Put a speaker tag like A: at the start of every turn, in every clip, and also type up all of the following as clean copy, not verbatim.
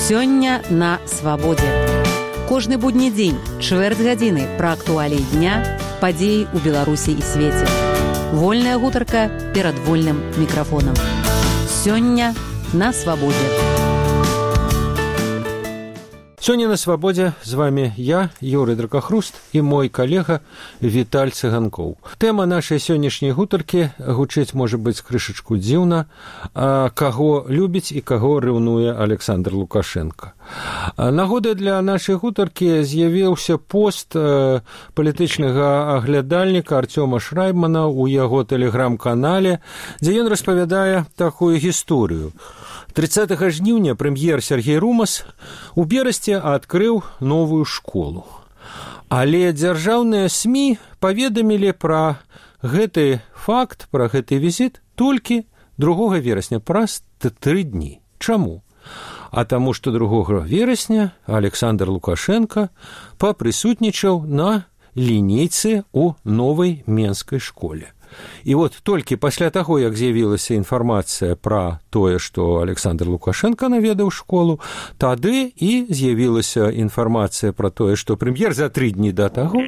A: Сёння на свабодзе. Кожны будні дзень, чвэрць гадзіны пра актуаліі дня, падзеі ў Беларусі і свеце. Вольная гутарка перад вольным мікрафонам. Сёння на свабодзе.
B: Сёння на свабодзе з вами я, Юрый Дракахруст, і мой калега Віталь Цыганкоў. Тэма нашай сённяшняй гутаркі гучыць, можа быць, крышачку дзіўна, каго любіць і каго рэўнуе Александр Лукашенко. Нагодай для нашай гутаркі з'явіўся пост палітычнага аглядальніка Артёма Шрайбмана ў яго тэлеграм-канале, дзе ён распавядае такую гісторыю. 30 жніўня прэм'ер Сергей Румас у Берасці адкрыў новую школу. Але дзяржаўныя СМІ паведамілі пра гэты факт, пра гэты візіт толькі 2 верасня, праз 3 дні. Чаму? А таму, што 2 верасня Александр Лукашенко папрысутнічаў на лінейцы ў новай менскай школе. І вот толькі пасля таго, як з'явілася інфармацыя пра тое, што Александр Лукашенко наведаў школу, тады і з'явілася інфармацыя пра тое, што прэм'ер за 3 дні да таго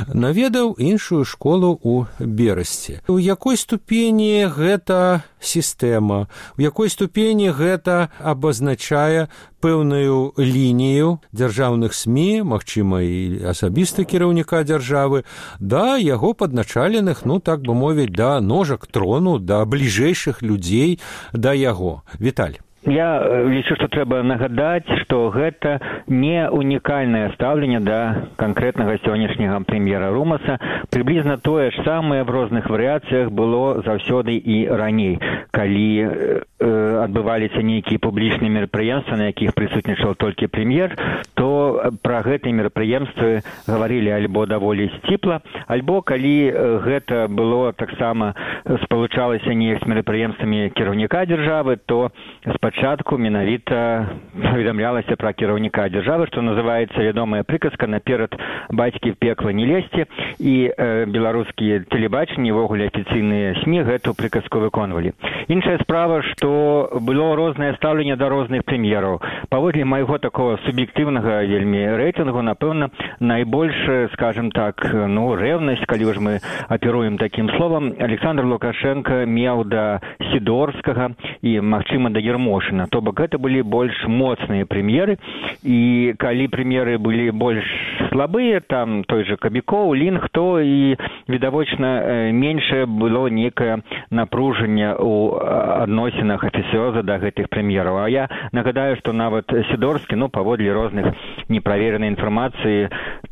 B: наведаў іншую школу ў Берасці. У якой ступені гэта сістэма, у якой ступені гэта абазначае пэўную лінію дзяржаўных СМІ, магчыма, і асабіста кіраўніка дзяржавы, да яго падначаленых, так бы мовіць, да ножак трону, да бліжэйшых людзей да яго. Віталь.
C: Я лічу, што трэба нагадаць, што гэта не унікальнае стаўленне да канкрэтнага сённяшняга прэм'ера Румаса. Прыблізна тое ж самае в розных варыяцыях было заўсёды і раней, калі адбываліся нейкія публічныя мерапрыемствы, на якіх прысутнічаў толькі прэм'ер, то пра гэтыя мерапрыемствы гаварылі альбо даволі сціпла, альбо калі гэта было таксама спалучалася неяк з мерапрыемствамі кіраўніка дзяржавы, то спачатку менавіта паведамлялася пра кіраўніка дзяржавы, што называецца вядомая прыказка «Наперад бацькі в пекла не лезьце», і беларускія тэлебачанні, увогуле афіцыйныя СМІ гэту прыказку выконвалі. Іншая справа, што было рознае стаўленне да розных прэм'ераў. Паводле майго такого суб'ектыўнага вельмі рэйтынгу, напэўна, найбольш, скажем так, рэўнасць, калі ўж мы аперуем такім словам, Александр Лукашенко меў да Сідорскага і, магчыма, да Ермошына. То бок гэта былі больш моцныя прэм'еры, і калі прэм'еры былі больш слабыя, там той же Кабікоў, Лінг, то і відавочна меншае было некае напружанне ў адносінах афіцыёза да гэтых прэм'ераў. А я нагадаю, што нават Сідорскі, паводле розных неправеранай інфармацыі,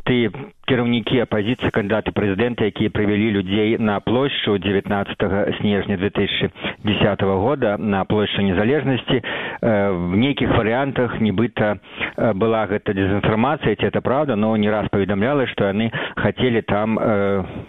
C: ты кіраўнікі апазіцыі, кандыдаты прэзідэнта, якія прывялі людзей на плошчу 19 снежня 2010 года, на плошчу Незалежнасці, в нейкіх варыянтах нібыта была гэта дезінфармацыя, ці это правда, но не раз паведамляла, што яны хацелі там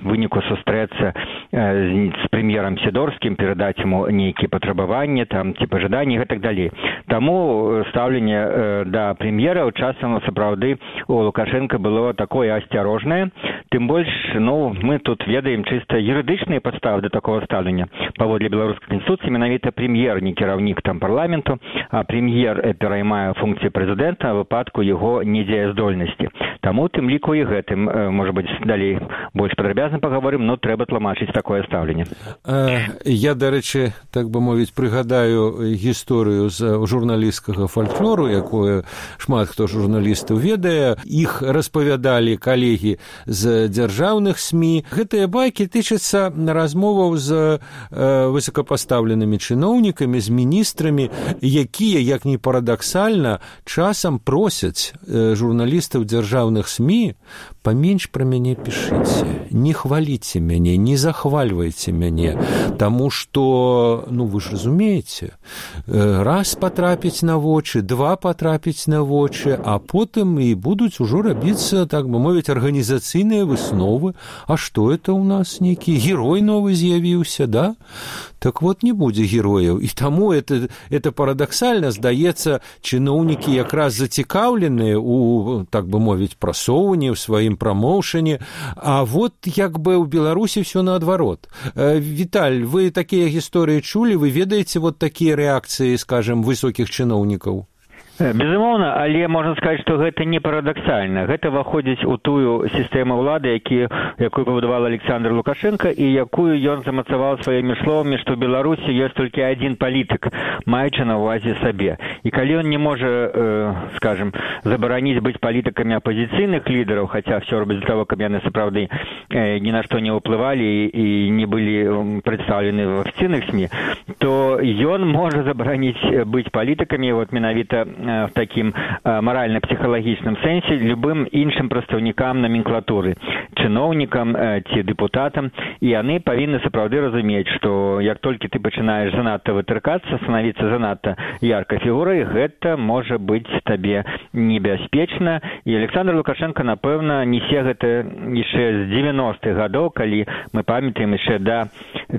C: выніку сустрэцца з прэм'ерам Сідорскім, перадаць яму нейкія патрабаванні, там, ці пажаданні і гэтак далей. Таму стаўленне да прэм'ераў часам сапраўды у Лукашенка было такое асцярожнае. Тым больш, мы тут ведаем чыста юрыдычныя падставы да такого стаўлення. Паводле беларускай канстытуцыі менавіта прэм'ер не кіраўнік там парламенту, а прэм'ер пераймае функцыі прэзідэнта ў выпадку яго недзеяздольнасці. Таму тым ліку і гэтым, можа быць, далей больш падрабязна паговорым, но трэба тлумачыць такое стаўленне.
B: Я, дарэчы, так бы мовіць, прыгадаю гісторыю з журналісцкага фальклору, якое шмат хто журналістаў ведае. Іх распавядалі калегі з дзяржаўных СМІ. Гэтыя байкі тычацца размоваў з высокапастаўленымі чыноўнікамі, з міністрамі, якія, як ні парадаксальна, часам просяць журналістаў дзяржаўных СМІ: паменш пра мяне пішыце, не хваліце мяне, не захвальвайце мяне, таму што, вы ж разумееце, раз патрапіць на вочы, два патрапіць на вочы, а потым і будуць ужо рабіцца, так бы мовіць, арганізацыйныя высновы. А што это ў нас нейкі герой новы з'явіўся, да? Так вот, не будзе герояў. І таму это парадаксальна, здаецца, чыноўнікі якраз зацікаўленыя у, так бы мовіць, прасоўванні, ў сваім прамоўшане. А вот як бы ў Беларусі все наадварот. Віталь, вы такія гісторыі чулі? Вы ведаеце вот такія рэакцыі, скажем, высокіх чыноўнікаў?
C: Безумоўна, але можна сказаць, што гэта не парадаксальна. Гэта выходзіць у тую сістэму ўлады, якую пабудаваў Александр Лукашенко і якую ён замацаваў сваімі словамі, што ў Беларусі ёсць толькі адзін палітык, маючы на ўвазе сабе. І калі ён не можа, скажем, забараніць быць палітыкамі апазіцыйных лідараў, хаця ўсё робіць для таго, каб яны сапраўды ні на што не ўплывалі і не былі прадстаўлены в афіцыйных СМІ, то ён можа забараніць быць палітыкамі, вот менавіта в такім маральна-псіхалагічным сэнсе любым іншым прадстаўнікам номенклатуры, чыноўнікам ці дэпутатам, і яны павінны сапраўды разумець, што як толькі ты пачынаеш занадта вытыркацца, станавіцца занадта яркай фігурай, гэта можа быць табе небяспечна. І Александр Лукашенко, напэўна, несе гэта яшчэ з 90-х гадоў, калі мы памятаем яшчэ да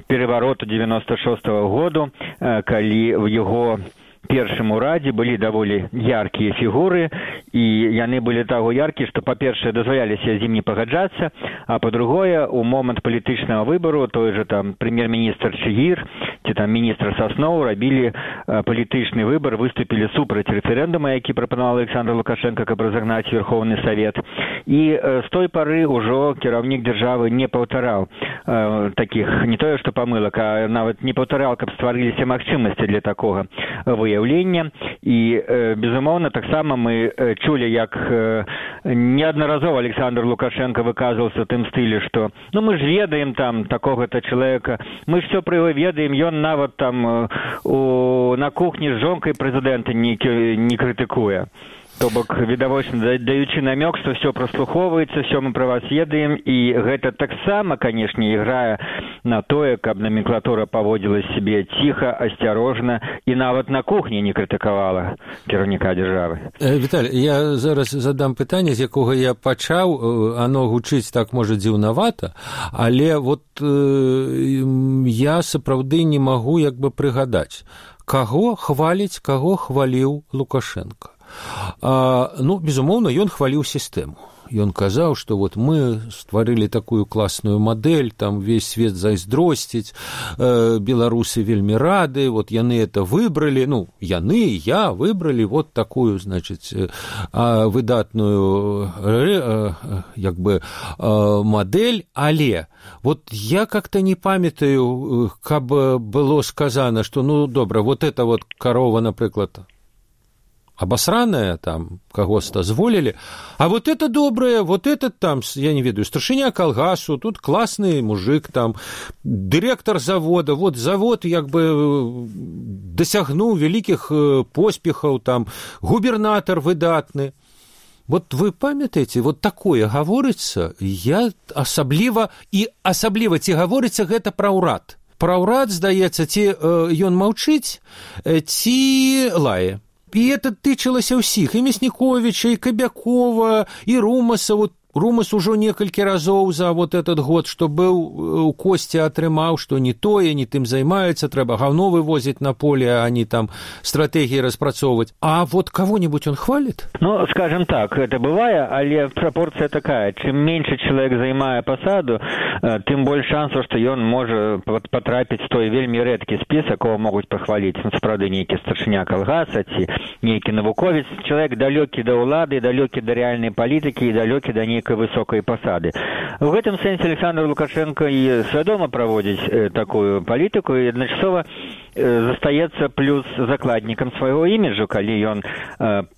C: перавароту 96-го году, калі в яго першым урадзе былі даволі яркія фігуры, і яны былі таго яркія, што, па-першае, дазваляліся з ім не пагаджацца, а па-другое, у момант палітычнага выбару той же там прэм'ер-міністр Чигир ці там міністр Сасноў рабілі палітычны выбар, выступілі супраць рэферэндума, які прапанаваў Александр Лукашенко, каб разагнаць Верховны Савет. І з той пары ўжо кіраўнік дзяржавы не паўтараў такіх, не тое што памылак, а нават не паўтараў, каб стварыліся магчымасці для такога выяўлення. І, безумоўна, таксама мы чулі, як неаднаразова Александр Лукашенко выказваўся ў тым стылі, што ну мы ж ведаем там такога-то чалавека, мы ж все пра яго ведаем, ён нават там на кухні з жонкай прэзідэнта не крытыкуе. То бок, відавочна, даючы намёк, што ўсё праслухоўваецца, ўсё мы пра вас ведаем, і гэта таксама, канешне, іграе на тое, каб номенклатура паводзіла сябе ціха, асцярожна і нават на кухні не крытыкавала кіраўніка дзяржавы.
B: Віталь, я зараз задам пытанне, з якога я пачаў, оно гучыць так, можа, дзіўнавата, але вот я сапраўды не магу як бы прыгадаць, каго хваліць, каго хваліў Лукашенко. Ну, безумоўна, ён хваліў сістэму. Ён казаў, што вот мы стварылі такую класную мадэль, там весь свет зайздросціць, беларусы вельмі рады, вот яны это выбралі, ну, яны, я выбралі вот такую, значыць, выдатную як бы мадэль, але вот я как-то не памятаю, каб было сказано, што, ну, добра, вот это вот карова, напрыклад, обосранная, там, кого-то зволили, а вот это доброе, вот этот там, я не ведаю, старшыня калгасу, тут классный мужик, там, директор завода, вот завод, як бы, досягнуў вялікіх поспехаў, там, губернатор выдатны. Вот вы памятаеце, вот такое гаворыцца, я асабліва ці гаворыцца гэта пра ўрад. Пра ўрад, здаецца, ці ён маўчыць, ці лае. І это тычылася ўсіх, і Мясніковіча, і Кабякова, і Румаса. Вот Румас ужо некалькі разоў за вот этот год, што быў у Косці, атрымаў, што не тое, не тым займаюцца, трэба гаўно вывозіць на поле, а не там стратэгіі распрацоўваць. А вот кого-нибудь он хвалит?
C: Ну, скажем так, это бывае, але пропорция такая. Чым меньше человек займае пасаду, тым больш шансаў, што ён можа патрапіць в той вельмі рэдкі спіс, якого могуць пахваліць. Ну, сапраўды, нейкі старшыня калгаса ці нейкі навуковец. Чалавек далёкі да ўлады, далёкі да рэальнай палітыкі і далёкі да нейкай высокай пасады. В гэтым сэнсе Александр Лукашенко і свядома праводзіць такую палітыку і адначасова застаецца плюс закладнікам свайго іміджу, калі ён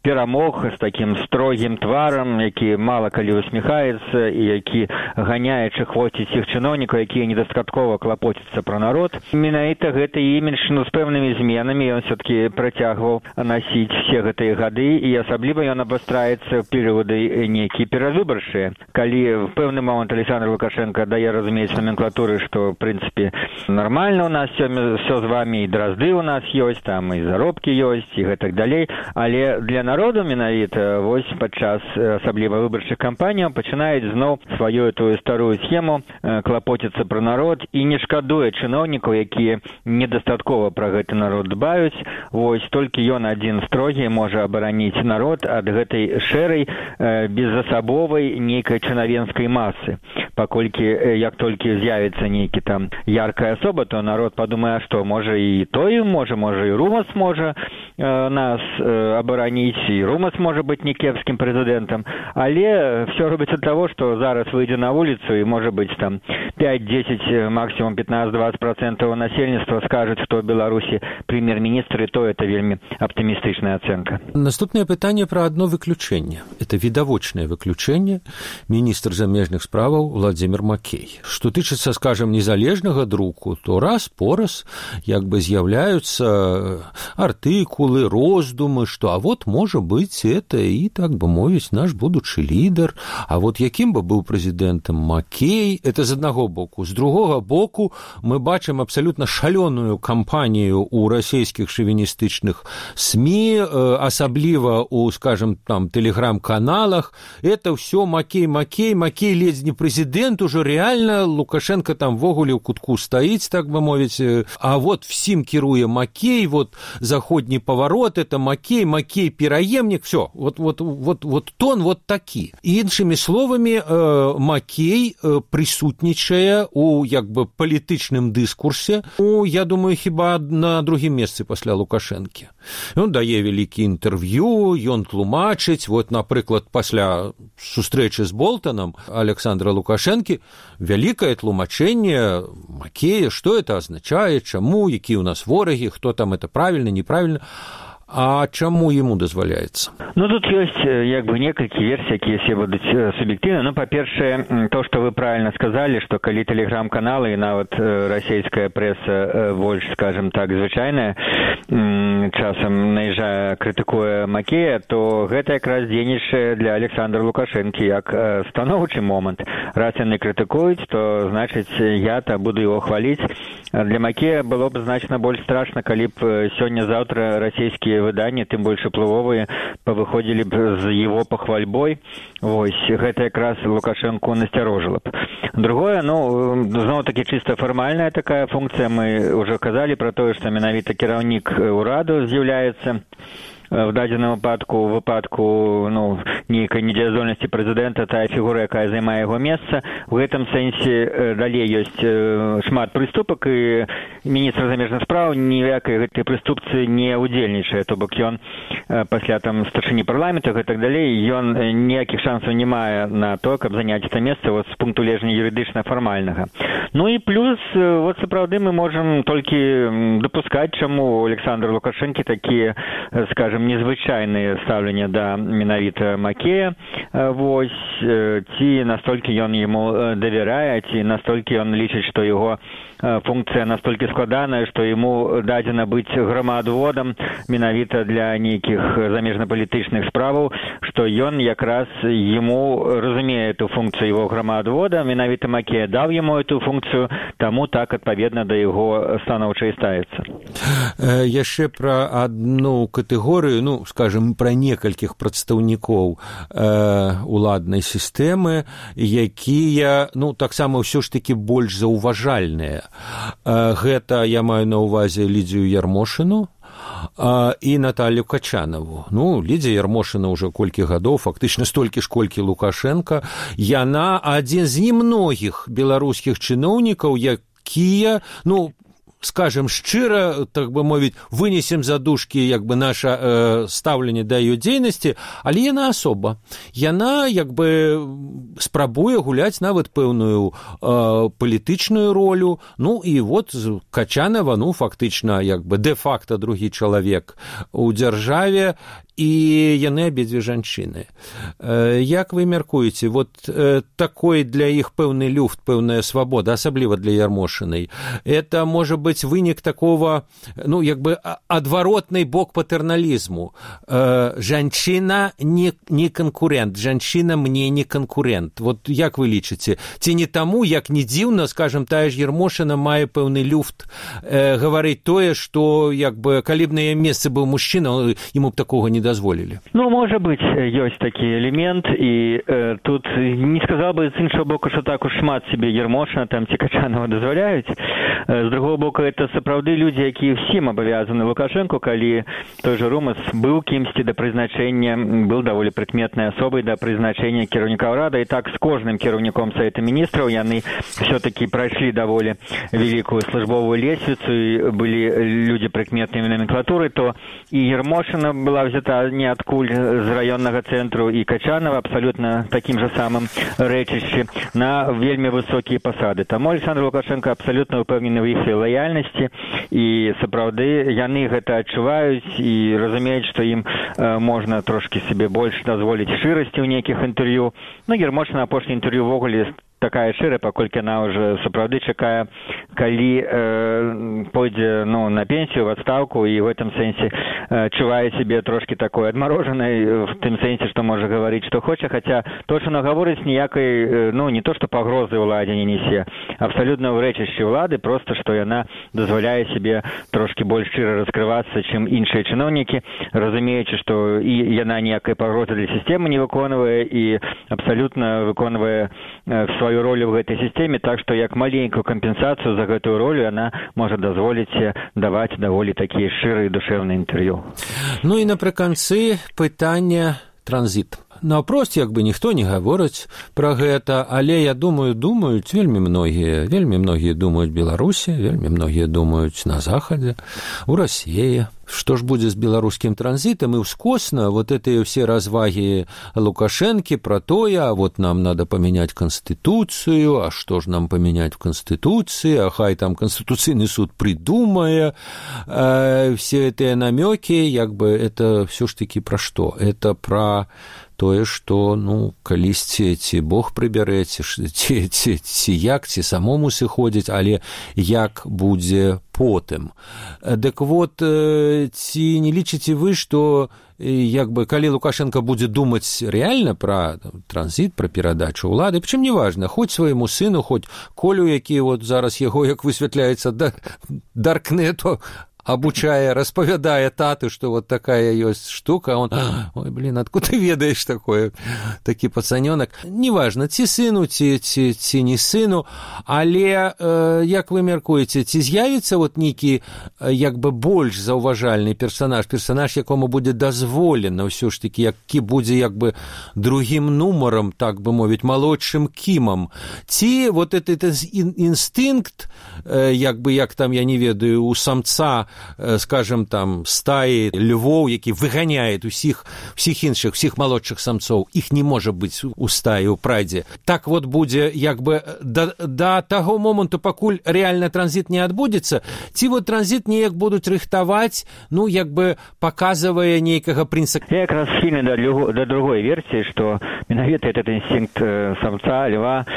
C: перамог з такім строгім тварам, які мала калі усміхаецца і які ганяе чахвоціць іх чыноўнікаў, якія недастаткова клапоцяцца пра народ. Менавіта гэты імідж, ну, з пэўнымі зменамі ён все-таки працягваў насіць все гэтыя гады, і асабліва ён абастраецца ў перыяды нейкія перавыбарчыя. Калі в пэўны момант Александр Лукашенко дае разумець номенклатуры, што, в прынцыпе, нармальна у нас все з вами, і дразды у нас ёсць, там і заробкі ёсць, і гэтак далей, але для народу менавіта вось падчас асабліва выбарчых кампаніяў пачынаюць зноў сваю тую старую схему клапоціцца пра народ і не шкадуе чыноўнікаў, якія недастаткова пра гэты народ дбаюць. Вось толькі ён адзін строгі можа абараніць народ ад гэтай шэрай безасабовай нейкай чынавенскай масы. Паколькі як толькі з'явіцца нейкі там яркая асоба, то народ падумае, што можа і і той можа і Румас можа нас абараніць, і Румас можа быць не кепскім прэзідэнтам, але все робіцца ад таго, што зараз выйдзе на вуліцу і можа быць там 5-10, максімум 15-20% насельніцтва скажуць, што ў Беларусі прэм'ер-міністр, і то это вельмі аптымістычная ацэнка.
B: Наступнае пытанне пра адно выключэнне. Это відавочнае выключэнне, міністр замежных справаў Владзімір Макей. Што тычыцца, скажам, незалежнага друку, то раз-пораз як бы з'яўляюцца артыкулы, роздумы, што а вот можа быць это і, так бы мовіць, наш будучы лідар, а вот якім бы быў прэзідэнтам Макей, это з аднаго боку. З другога боку мы бачым абсалютна шалёную кампанію ў расійскіх шавіністычных СМІ, асабліва у, скажем, там, тэлеграм-каналах. Это ўсё Макей, ледзь не прэзідэнт, ужо реально Лукашенко там ввогуле ў кутку стаіць, так бы мовіць, а вот всім кіруе Макей, вот заходні паварот, это Макей, пераемнік, все, вот тон вот такі. Іншымі словамі, Макей прысутнічае у як бы палітычным дыскурсе, я думаю, хіба на другім месцы пасля Лукашэнкі. Ён дае вялікі інтэрв'ю, ён тлумачыць, вот, напрыклад, пасля сустрэчы з Болтанам Александра Лукашэнкі вялікае тлумачэнне Макея, што это азначае, чаму, якія ў нас ворагі, хто там это правільна, неправільна. А чаму ему дазваляецца?
C: Ну, тут ёсць як бы некалькі версій, якія все будуць суб'ектыўна. Ну, па-першае, то, што вы правільна сказалі, што калі тэлеграм-каналы і нават расійская прэса больш, скажем так, звычайная, часам наязджае, крытыкуе Макея, то гэта якраз дзейнічае для Александра Лукашэнкі як станоўчы момант. Раз яны крытыкуюць, то, значыць, я-то буду его хваліць. Для Макея было б значна больш страшна, калі б сёння-заўтра расійскія выданні, тым больш уплывовыя, павыходзілі б з его пахвальбой. Вось, гэта якраз Лукашэнку насцярожыла б. Другое, ну, зноў-такі чыста фармальная такая функцыя. Мы ўжо казалі пра тое, што менавіта кіраўнік ураду з'яўляецца в дадзеным выпадку ну, нейкай недзеяздольнасці прэзідэнта, тая фігура, якая займае яго месца. У гэтым сэнсе далей ёсць шмат прыступак, і міністр замежных спраў ніякай гэтай прыступцы не удзельнічае, то бок ён пасля там старшыні парламента і так далей, ён ніякіх шансаў не мае на то, каб заняць это месца вот, з пункту гледжання юрыдычна-фармальнага. Ну і плюс, вот сапраўды мы можам толькі дапускаць, чаму Александр Лукашэнкі такія, скажем, незвычайныя стаўленне да менавіта Макея, вось, ці настолькі ён яму давярае, ці настолькі ён лічыць, што яго функцыя настолькі складаная, што яму дадзена быць грамаадводам менавіта для нейкіх замежнапалітычных справаў, што ён якраз яму разумее эту функцію яго грамаадвода, менавіта Макея даў яму эту функцію, таму так адпаведна да яго станоўча і ставіцца.
B: Яшчэ пра адну катэгорыю, ну, скажем, пра некалькіх прадстаўнікоў уладнай сістэмы, якія, ну, таксама ўсё ж такі больш заўважальныя. Гэта я маю на ўвазе Лідзію Ярмошыну і Наталью Качанову. Ну, Лідзія Ярмошына ўжо колькі гадоў, фактычна столькі ж, колькі Лукашенко. Яна адзін з немногіх беларускіх чыноўнікаў, якія, ну, скажем шчыра, так бы мовіць, вынесем за дужкі як бы наша стаўленне да яе дзейнасці, але яна асоба. Яна як бы спрабуе гуляць нават пэўную палітычную ролю. Ну і вот Качанова, ну фактычна як бы дэ-факта другі чалавек у дзяржаве, і яны абедзве жанчыны. Як вы мяркуеце, вот такой для іх пэўны люфт, пэўная свабода, асабліва для Ярмошынай, это можа быць вынік такого, ну, як бы адваротны бок патэрналізму. Жанчына не канкурент, жанчына мне не канкурент. Вот як вы лічыце? Ці не таму, як не дзіўна, скажем, тая ж Ярмошына мае пэўны люфт гаварыць тое, што як бы калі б на яе месцы быў мужчына, яму б такога не дазволілі.
C: Ну, можа быць, ёсць такі элемент, і тут не сказал бы з іншого боку, што так уж шмат себе Ярмошына там ці Качанова дазваляюць. З другого боку, это сапраўды людзі, якія всім абавязаны Лукашенко, калі той же Румас быў кімсьці да прызначэння, быў даволі прыкметнай асобай да прызначэння кіраўніка ўрада, і так з кожным кіраўніком Савета Міністраў яны все-таки прайшлі даволі великую службовую лесвіцу, і былі людзі прыкметнымі номенклатуры, то і Ермошина была взята ниоткуль з районнага цэнтру, і Качанова абсолютно таким же самым рэчышчы на вельмі высокія пасады. Таму Александр Лукашенко абсолютно упэўнены ў іх лаяльнасці, і сапраўды яны гэта адчуваюць і разумеюць, што ім можна трошки себе больш дазволіць шчырасці ў нейкіх інтэрв'ю. Ну, Ермошина апошні інтэрв'ю ввогуле такая шчырая, паколькі яна ўжо сапраўды чакае, калі пойдзе на пенсію, в адстаўку, і в этом сэнсе чувае себе трошки такой адмарожанай, в тым сэнсе, што можа гаварыць, што хоча, хаця то, што она гаворыць, ніякай, не то, што пагрозы ўладзе не несе, абсалютна ў рэчышчы ўлады, просто, што яна дазваляе себе трошки больш шчыра раскрывацца, чым іншыя чыноўнікі, разумеючы, што і яна ніякай пагрозы для сістэмы не выконвае, і абсалютна выконвае сваю ролю в гэтай сістэме, так што як маленькую кампенсацыю за гэтую ролю она можа дазволіць даваць даволі такія шчырыя душэўныя інтэрв'ю.
B: Ну і напрыканцы пытання транзіт. Наўпрост як бы ніхто не гаворыць пра гэта, але я думаюць вельмі многія думаюць Беларусі, вельмі многія думаюць на Захадзе, у Расіі. Што ж будзе з беларускім транзітам, і ўскосна вот этыя все развагі Лукашэнкі пра тое, а вот нам надо поменять Конституцию, а что ж нам поменять в Конституции, а хай там Конституційный суд придумае, все эти намеки, як бы это все ж таки про что? Это про тое, што, калісьці ці Бог прыбярэ, ці як, ці самому сыходзіць, але як будзе потым. Дык вот, ці не лічыце вы, што як бы, калі Лукашенко будзе думаць рэальна пра транзіт, пра перадачу ўлады, прычым неважна, хоць свайму сыну, хоць Колю, які вот зараз яго, як высвятляецца, даркнету обучая, распавядае тату, што вот такая ёсць штука, он, ой, блин, откуда ты ведаеш такое, такі пацанёнак. Неважна, ці сыну, ці не сыну, але, як вы мяркуеце, ці з'явіцца вот нейкі, як бы, больш заўважальны персанаж, якому будзе дазволена ўсё ж такі, які будзе, як бы, другім нумарам, так бы мовіць, малодшым кімам, ці вот этот інстынкт, як бы, як там, я не ведаю, у самца, скажем, там, стаи львоў, які выганяе усіх іншых, всіх малодшых самцоў, іх не можа быць у стаі, у прайдзе. Так вот будзе, як бы, да таго моманту, пакуль рэальна транзіт не адбудзецца, ці вот транзіт неяк будуць рыхтаваць, як бы, паказвае нейкага прынцыпа.
C: Я якраз схільны да другой версіі, што менавіта этот інстынкт самца, льва,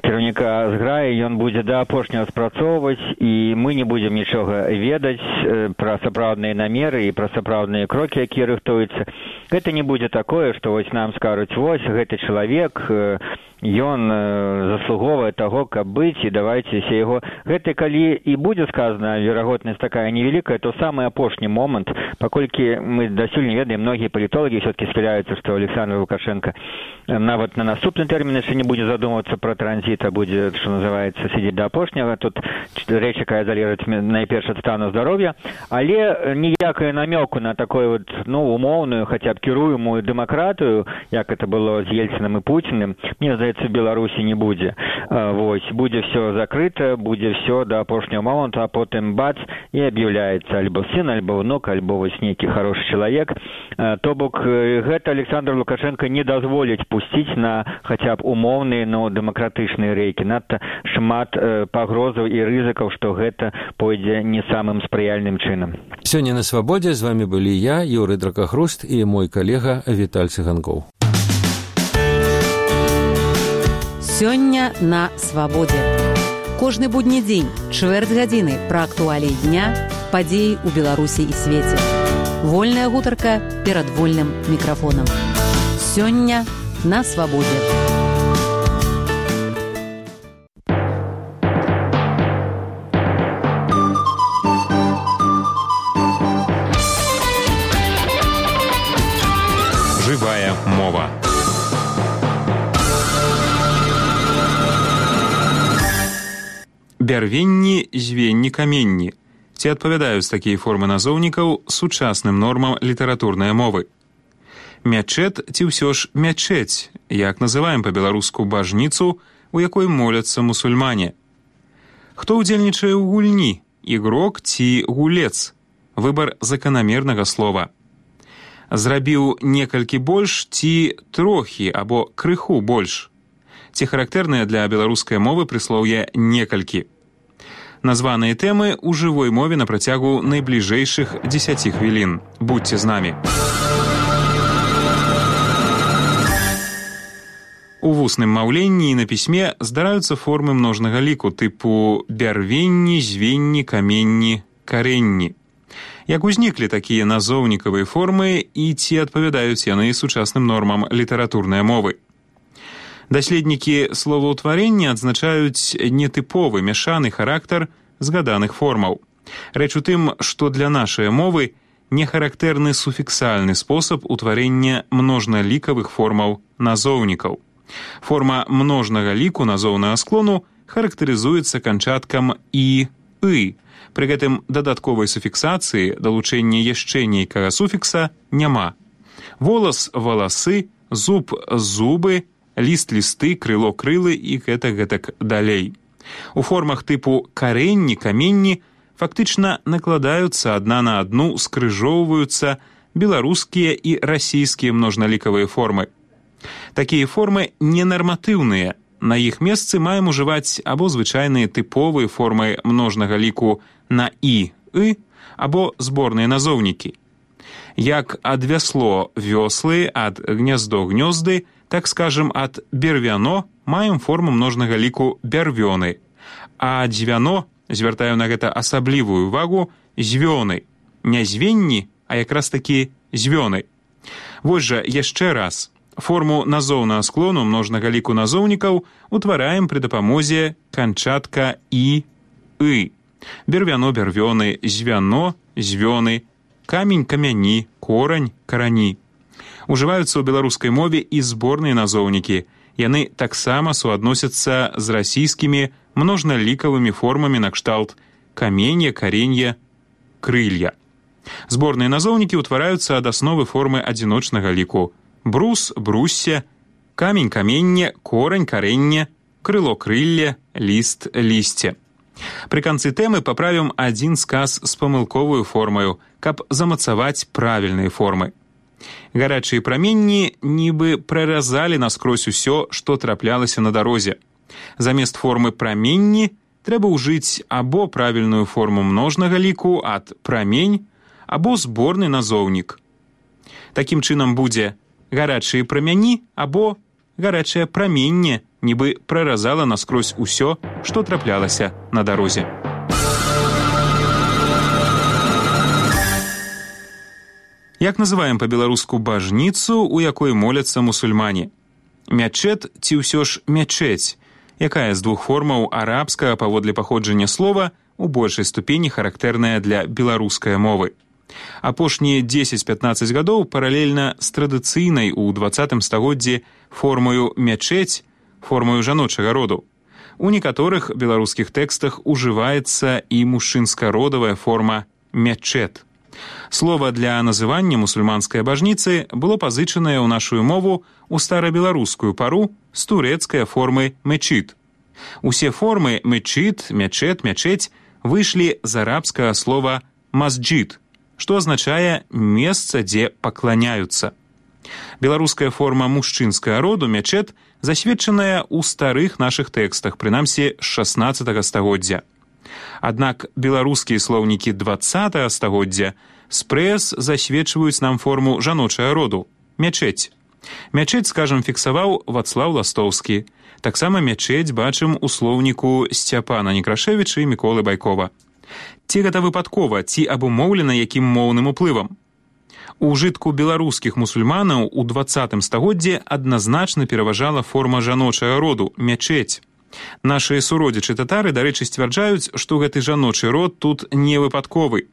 C: кіраўніка зграі, ён будзе да апошняга спрацоўваць, і мы не будзем нічога ведаць пра сапраўдныя намеры і пра сапраўдныя крокі, якія рыхтуюцца. Гэта не будзе такое, што вось нам скажуць, вось гэты чалавек, ён заслуговае таго, каб быць, і давайце се яго. Гэта калі і будзе сказана, верагоднасць такая невялікая, то самы апошні момант, паколькі мы дасюль не ведаем, многія палітолагі ўсё-такі схіляюцца, што Александр Лукашенко нават на наступны тэрмін яшчэ не будзе задумвацца пра транзіт, а будзе, што называецца, сидзець да апошняга. Тут рэч, якая залежыць найперш ад стану здароўя, але ніякая намёку на такой вот, умоўную, хаця б кіруемую дэмакратыю, як это было з Ельцынам і Пуціным, мне здаецца, в Беларусі не будзе. Вось, будзе все закрыта, будзе все до апошняга моманту, а потым бац, і аб'яўляецца альбо сын, альбо внук, альбо вось нейкі хорошы чалавек. То бок, гэта Александр Лукашенко не дазволіць пусціць на хаця б умоўныя, дэмакратычныя рэйкі. Надта шмат пагрозаў і рызыкаў, што гэта пойдзе не самым спрыяльным чынам.
B: Сёння на Свабодзе з вами былі я, Юрый Дракахруст, і мой калега Віталь Цыганкоў.
A: Сёння на Свабодзе. Кожны будні дзень, чвэрць гадзіны пра актуаліі дня, падзеі ў Беларусі і свеце. Вольная гутарка перад вольным мікрафонам. Сёння на Свабодзе.
D: Жывая мова. Бярвенні, звенні, каменні. Ці адпавядаюць такія формы назоўнікаў сучасным нормам літаратурнай мовы. Мячэт ці ўсё ж мячэць, як называем па-беларуску бажніцу, у якой моляцца мусульмане. Хто ўдзельнічае ў гульні, ігрок ці гулец? Выбар заканамернага слова. Зрабіў некалькі больш ці трохі або крыху больш. Ці характэрныя для беларускай мовы прыслоўе некалькі. Названыя тэмы ў жывой мове на працягу найбліжэйшых 10 хвілін. Будьце з намі. У вусным маўленні і на пісьме здараюцца формы множнага ліку тыпу бярвенні, звенні, каменні, карэнні. Як узніклі такія назоўнікавыя формы і ці адпавядаюць яны сучасным нормам літаратурнай мовы? Даследнікі словаўтварення адзначаюць нетыповы мяшаны характар згаданых формаў. Рэч у тым, што для нашай мовы не характэрны суфіксальны спосаб утварення множналікавых формаў назоўнікаў. Форма множнага ліку назоўнага склону характарызуецца канчаткам «і», «ы». Пры гэтым дадатковай суфіксацыі, далучэння яшчэ нейкага суфікса няма. Волас – валасы, зуб – зубы, ліст – лісты, крыло – крылы і гэтак далей. У формах тыпу карэнні, каменні фактычна накладаюцца адна на адну, скрыжоўваюцца беларускія і расійскія множналікавыя формы. Такія формы ненарматыўныя. На іх месцы маем ужываць або звычайныя тыповыя формы множнага ліку на «і», «ы», або зборныя назоўнікі. Як ад вясло – вёслы, ад гняздо – гнёзды, так скажем, ад бервяно маем форму множнага ліку бярвёны, а дзвяно, звяртаю на гэта асаблівую увагу, звёны. Не звенні, а якраз такі звёны. Вось жа яшчэ раз. Форму назоўнага склону множнага ліку назоўнікаў утвараем пры дапамозе канчатка «і», «ы». Бервяно, бервёны, звяно, звёны, камень, камяні, корань, карані. Ужываюцца ў беларускай мове і зборныя назоўнікі. Яны таксама суадносяцца з расійскімі множналікавымі формамі накшталт каменья, каренья, крылья. Зборныя назоўнікі ўтвараюцца ад асновы формы адзіночнага ліку. Брус, бруссе, камень, каменне, корань, карэнне, крыло, крылле, ліст, лісце. Пры канцы тэмы паправім адзін сказ з памылковую формаю, каб замацаваць правільныя формы. Гарачыя праменні нібы праразалі наскрозь усё, што траплялася на дарозе. Замест формы праменні трэба ўжыць або правільную форму множнага ліку ад прамень, або зборны назоўнік. Такім чынам будзе гарачыя прамяні або гарачае праменне, нібы праразала наскрозь усё, што траплялася на дарозе. Як называем па-беларуску бажніцу, у якой моляцца мусульмане? Мячэт ці ўсё ж мячэць? Якая з двух формаў арабскага паводле паходжання слова у большай ступені характэрная для беларускай мовы? Апошнія 10-15 гадоў паралельна з традыцыйнай у 20 стагоддзі формою мячэць, формою жаночага роду. У некаторых беларускіх тэкстах ужываецца і мужчынска-родавая форма мячэт. Слова для называння мусульманскай бажніцы было пазычанае ў нашу мову ў старабеларускую пару з турэцкай формы мечит. Усе формы мечит, мячэт, мячэць выйшлі з арабскага слова масджид, што азначае месца, дзе пакланяюцца. Беларуская форма мужчынскага роду мячэт засведчаная ў старых нашых тэкстах, прынамсі з 16 стагоддзя. Аднак беларускія слоўнікі 20 стагоддзя спрэс засведчваюць нам форму жаночага роду мячэць. Мячэць, скажам, фіксаваў Вацлаў Ластоўскі. Таксама мячэць бачым у слоўніку Сцяпана Некрашевіча і Міколы Байкова. Ці гэта выпадкова, ці абумоўлена якім моўным уплывам? У ўжытку беларускіх мусульманаў у 20 стагоддзі адназначна пераважала форма жаночага роду мячэць. Нашыя суродзічы татары, дарэчы, сцвярджаюць, што гэты жаночы род тут не выпадковы.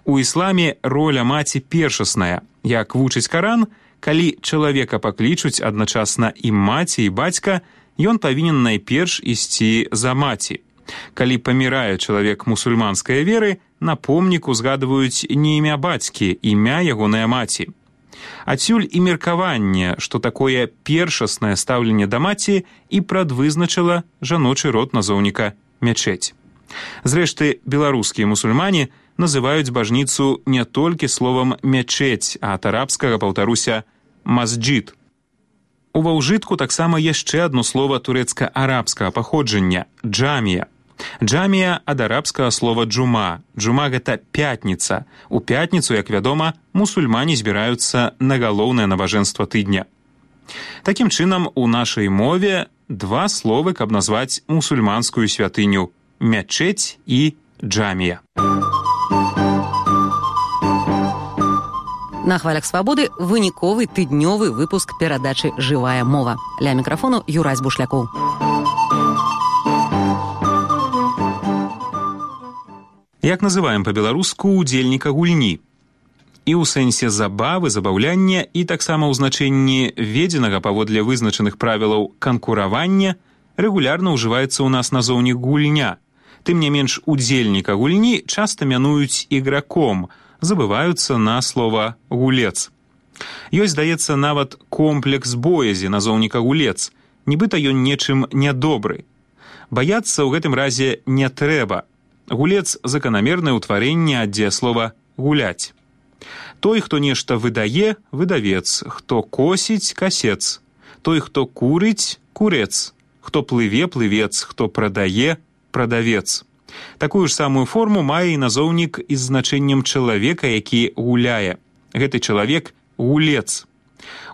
D: У ісламе роля маці першасная. Як вучыць Каран, калі чалавека паклічуць адначасна і маці, і бацька, ён павінен найперш ісці за маці. Калі памірае чалавек мусульманскай веры, на помніку згадваюць не імя бацькі, імя ягонай маці. Адсюль і меркаванне, што такое першаснае стаўленне да маці і прадвызначыла жаночы род назоўніка мячэць. Зрэшты, беларускія мусульмане называюць бажніцу не толькі словам мячэць, а ад арабскага, паўтаруся, масджид. Ува ўжытку таксама яшчэ адно слова турэцка-арабскага паходжання – джамія. Джамія ад арабскага слова джума. Джума – гэта пятніца. У пятніцу, як вядома, мусульмане збіраюцца на галоўнае набажэнства тыдня. Такім чынам, у нашай мове два словы, каб назваць мусульманскую святыню – мячэць і джамія.
A: На хвалях свабоды выніковы тыднёвы выпуск перадачы «Жывая мова». Ля мікрафону Юрась Бушлякоў.
D: Як называем па-беларуску удзельніка гульні? І ў сэнсе забавы, забаўляння, і таксама ў значэнні введзенага паводле вызначаных правілаў канкуравання рэгулярна ўжываецца ў нас назоўнік гульня. Тым не менш, удзельніка гульні часта мянуюць іграком, забываюцца на слова гулец. Ёсць, здаецца, нават комплекс боязі назоўніка гулец, нібыта ён нечым нядобры. Баяцца ў гэтым разе не трэба. Гулец – заканамернае ўтварэнне ад дзеяслова «гуляць». Той, хто нешта выдае – выдавец, хто косіць – касец, той, хто курыць – курец, хто плыве – плывец, хто прадае – прадавец. Такую ж самую форму мае і назоўнік з значэннем чалавека, які гуляе. Гэты чалавек – гулец.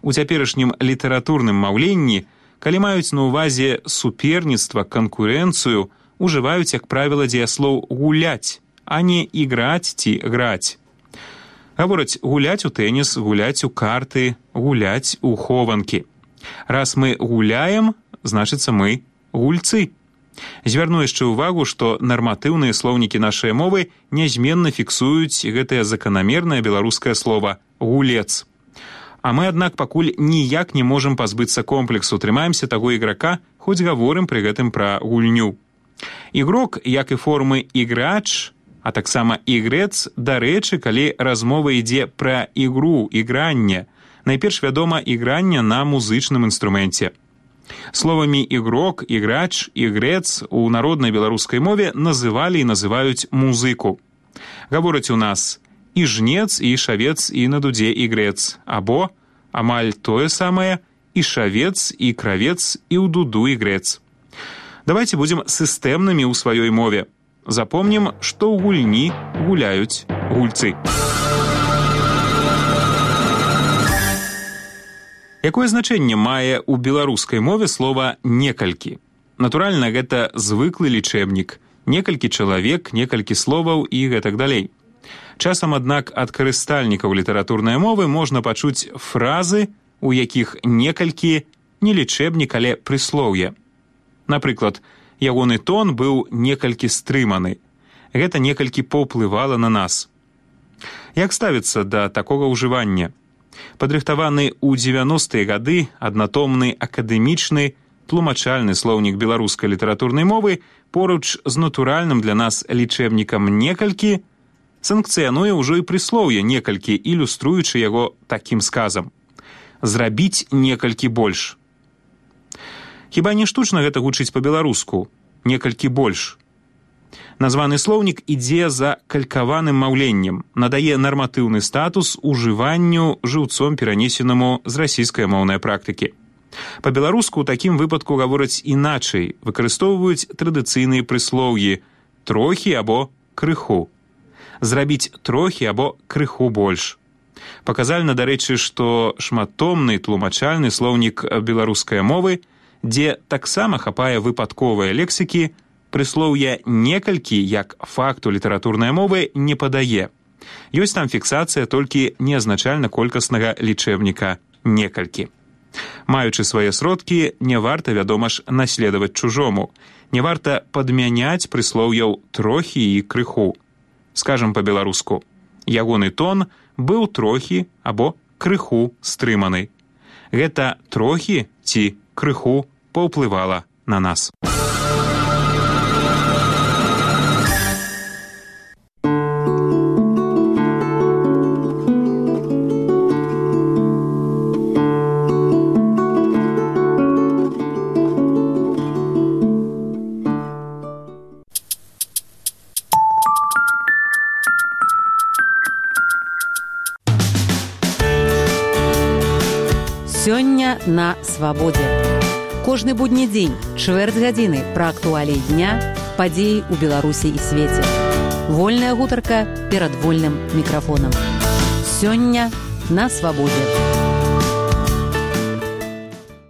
D: У цяперашнім літаратурным маўленні, калі маюць на ўвазе суперніцтва, канкурэнцыю, ужываюць, як правіла, дзеяслоў «гуляць», а не «іграць» ці «граць». Гавораць гуляць у тэніс, гуляць у карты, гуляць у хованкі. Раз мы гуляем, значыцца мы гульцы. Звярну яшчэ ўвагу, што нарматыўныя слоўнікі нашай мовы нязменна фіксуюць гэтае заканамернае беларускае слова «гулец». А мы, аднак, пакуль ніяк не можам пазбыцца комплексу, трымаемся таго іграка, хоць гаворым пры гэтым пра гульню. Ігрок, як і формы іграч, а таксама ігрэц, дарэчы, калі размова ідзе пра ігру, ігранне, найперш вядома ігранне на музычным інструменце. Словамі ігрок, іграч, ігрэц у народнай беларускай мове называлі і называюць музыку. Гавораць у нас і жнец, і шавец, і на дудзе ігрэц, або, амаль тое самае, і шавец, і кравец, і ў дуду ігрэц. Давайте будем сістэмнымі ў сваёй мове. Запомнім, што ў гульні гуляюць гульцы. Якое значэнне мае ў беларускай мове слова «некалькі»? Натуральна, гэта звыклы лічэбнік. Некалькі чалавек, некалькі словаў і гэтак далей. Часам, аднак, ад карыстальнікаў літаратурнай мовы можна пачуць фразы, у якіх некалькі не лічэбнік, але прыслоўе. Напрыклад, ягоны тон быў некалькі стрыманы. Гэта некалькі паўплывала на нас. Як ставіцца да такога ўжывання? Падрыхтаваны ў 90-е гады аднатомны акадэмічны тлумачальны слоўнік беларускай літаратурнай мовы поруч з натуральным для нас лічэбнікам некалькі санкцыянуе ўжо і прыслоўе некалькі, ілюструючы яго такім сказам. Зрабіць некалькі больш. Хіба не штучна гэта гучыць па-беларуску? Некалькі больш. Названы слоўнік ідзе за калькаваным маўленнем, надае нарматыўны статус ужыванню жыўцом перанесенаму з расійскай-моўнай практыкі. Па-беларуску ў такім выпадку гавораць іначай, выкарыстоўваюць традыцыйныя прыслоўі «трохі» або «крыху». Зрабіць трохі або крыху больш. Паказальна, дарэчы, што шматтомны тлумачальны слоўнік беларускай мовы, дзе таксама хапае выпадковыя лексікі, прыслоўя «некалькі» як факту літаратурнай мовы не падае. Ёсць там фіксацыя толькі неазначальна-колькаснага лічэбніка «некалькі». Маючы свае сродкі, не варта, вядома ж, наследаваць чужому. Не варта падмяняць прыслоўяў «трохі» і «крыху». Скажам па-беларуску, ягоны тон быў трохі або крыху стрыманы. Гэта трохі ці крыху паўплывала на нас.
A: Сёння на свабодзе. Кожны будні дзень, чвэрць гадзіны пра актуаліі дня, падзеі ў Беларусі і свеце. Вольная гутарка перад вольным мікрафонам. Сёння на свабодзе.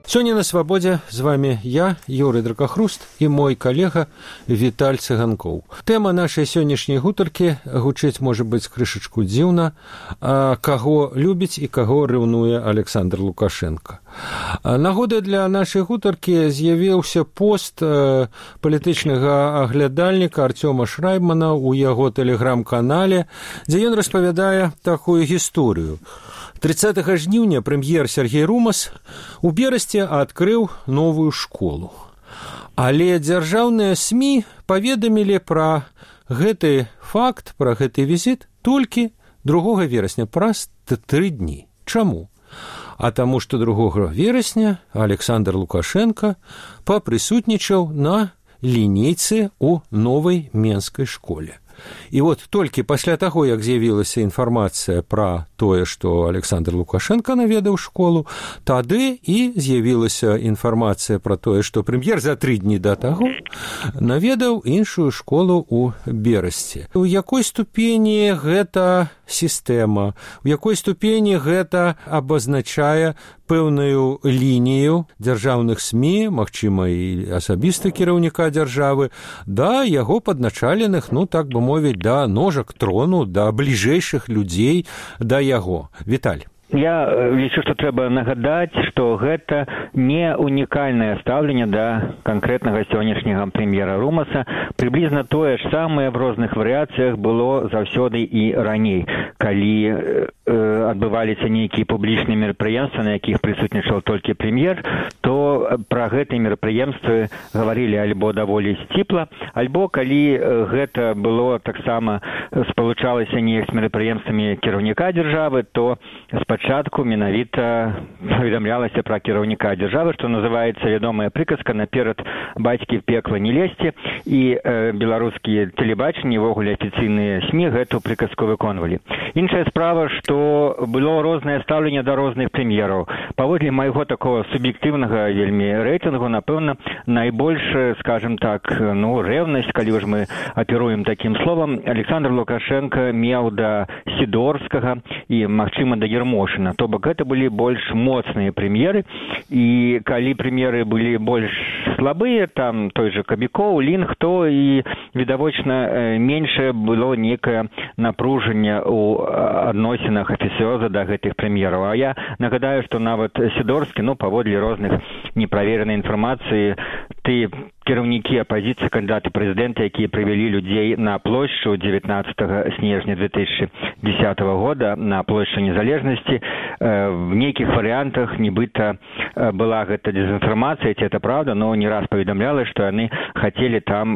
B: Сёння на свабодзе з вами я, Юрый Дракахруст, і мой калега Віталь Цыганкоў. Тэма нашай сённяшняй гутаркі гучыць, можа быць, крышачку дзіўна, каго любіць і каго рэўнуе Александр Лукашенко. Нагодай для нашай гутаркі з'явіўся пост палітычнага аглядальніка Артёма Шрайбмана ў яго тэлеграм-канале, дзе ён распавядае такую гісторыю. 30 жніўня прэм'ер Сергей Румас у Берасці адкрыў новую школу. Але дзяржаўныя СМІ паведамілі пра гэты факт, пра гэты візіт толькі 2 верасня, праз 3 дні. Чаму? А таму, што 2 верасня Александр Лукашенко папрысутнічаў на лінейцы ў новай менскай школе. І вот толькі пасля таго, як з'явілася інфармацыя пра тое, што Александр Лукашенко наведаў школу, тады і з'явілася інфармацыя пра тое, што прэм'ер за 3 дні да таго наведаў іншую школу ў Берасці. У якой ступені гэта сістэма, у якой ступені гэта абазначае пэўную лінію дзяржаўных СМІ, магчыма, і асабіста кіраўніка дзяржавы, да яго падначаленых, так бы мовіць, да ножак трону, да бліжэйшых людзей да яго. Віталь.
C: Я лічу, што трэба нагадаць, што гэта не унікальнае стаўленне да канкрэтнага сённяшняга прэм'ера Румаса. Прыблізна тое ж самае в розных варыяцыях было заўсёды і раней, калі адбываліся нейкія публічныя мерапрыемствы, на якіх прысутнічаў толькі прэм'ер, то пра гэтыя мерапрыемствы гаварылі альбо даволі сціпла, альбо калі гэта было таксама спалучалася неяк з мерапрыемствамі кіраўніка дзяржавы, то спачатку менавіта паведамлялася пра кіраўніка дзяржавы, што называецца вядомая прыказка «Наперад бацькі в пекла не лезьце», і беларускія тэлебачанні, увогуле афіцыйныя СМІ гэту прыказку выконвалі. Іншая справа, што было рознае стаўленне да розных прэм'ераў. Паводле майго такого суб'ектыўнага вельмі рэйтынгу, напэўна, найбольш, скажем так, рэўнасць, калі ж мы аперуем такім словам, Александр Лукашенко меў да Сідорскага і, магчыма, да Ермошына. То бок гэта былі больш моцныя прэм'еры, і калі прэм'еры былі больш слабыя, там той же Кабікоў, Лінг, то і відавочна меншае было некае напружанне ў адносінах афіцыёза да гэтых прэм'ераў. А я нагадаю, што нават Сідорскі, паводле розных неправеранай інфармацыі, ты кіраўнікі апазіцыі, кандыдаты прэзідэнта, якія прывялі людзей на плошчу 19 снежня 2010 года, на плошчу Незалежнасці, в нейкіх варыянтах нібыта была гэта дезінфармацыя, ці это правда, но не раз паведамляла, што яны хацелі там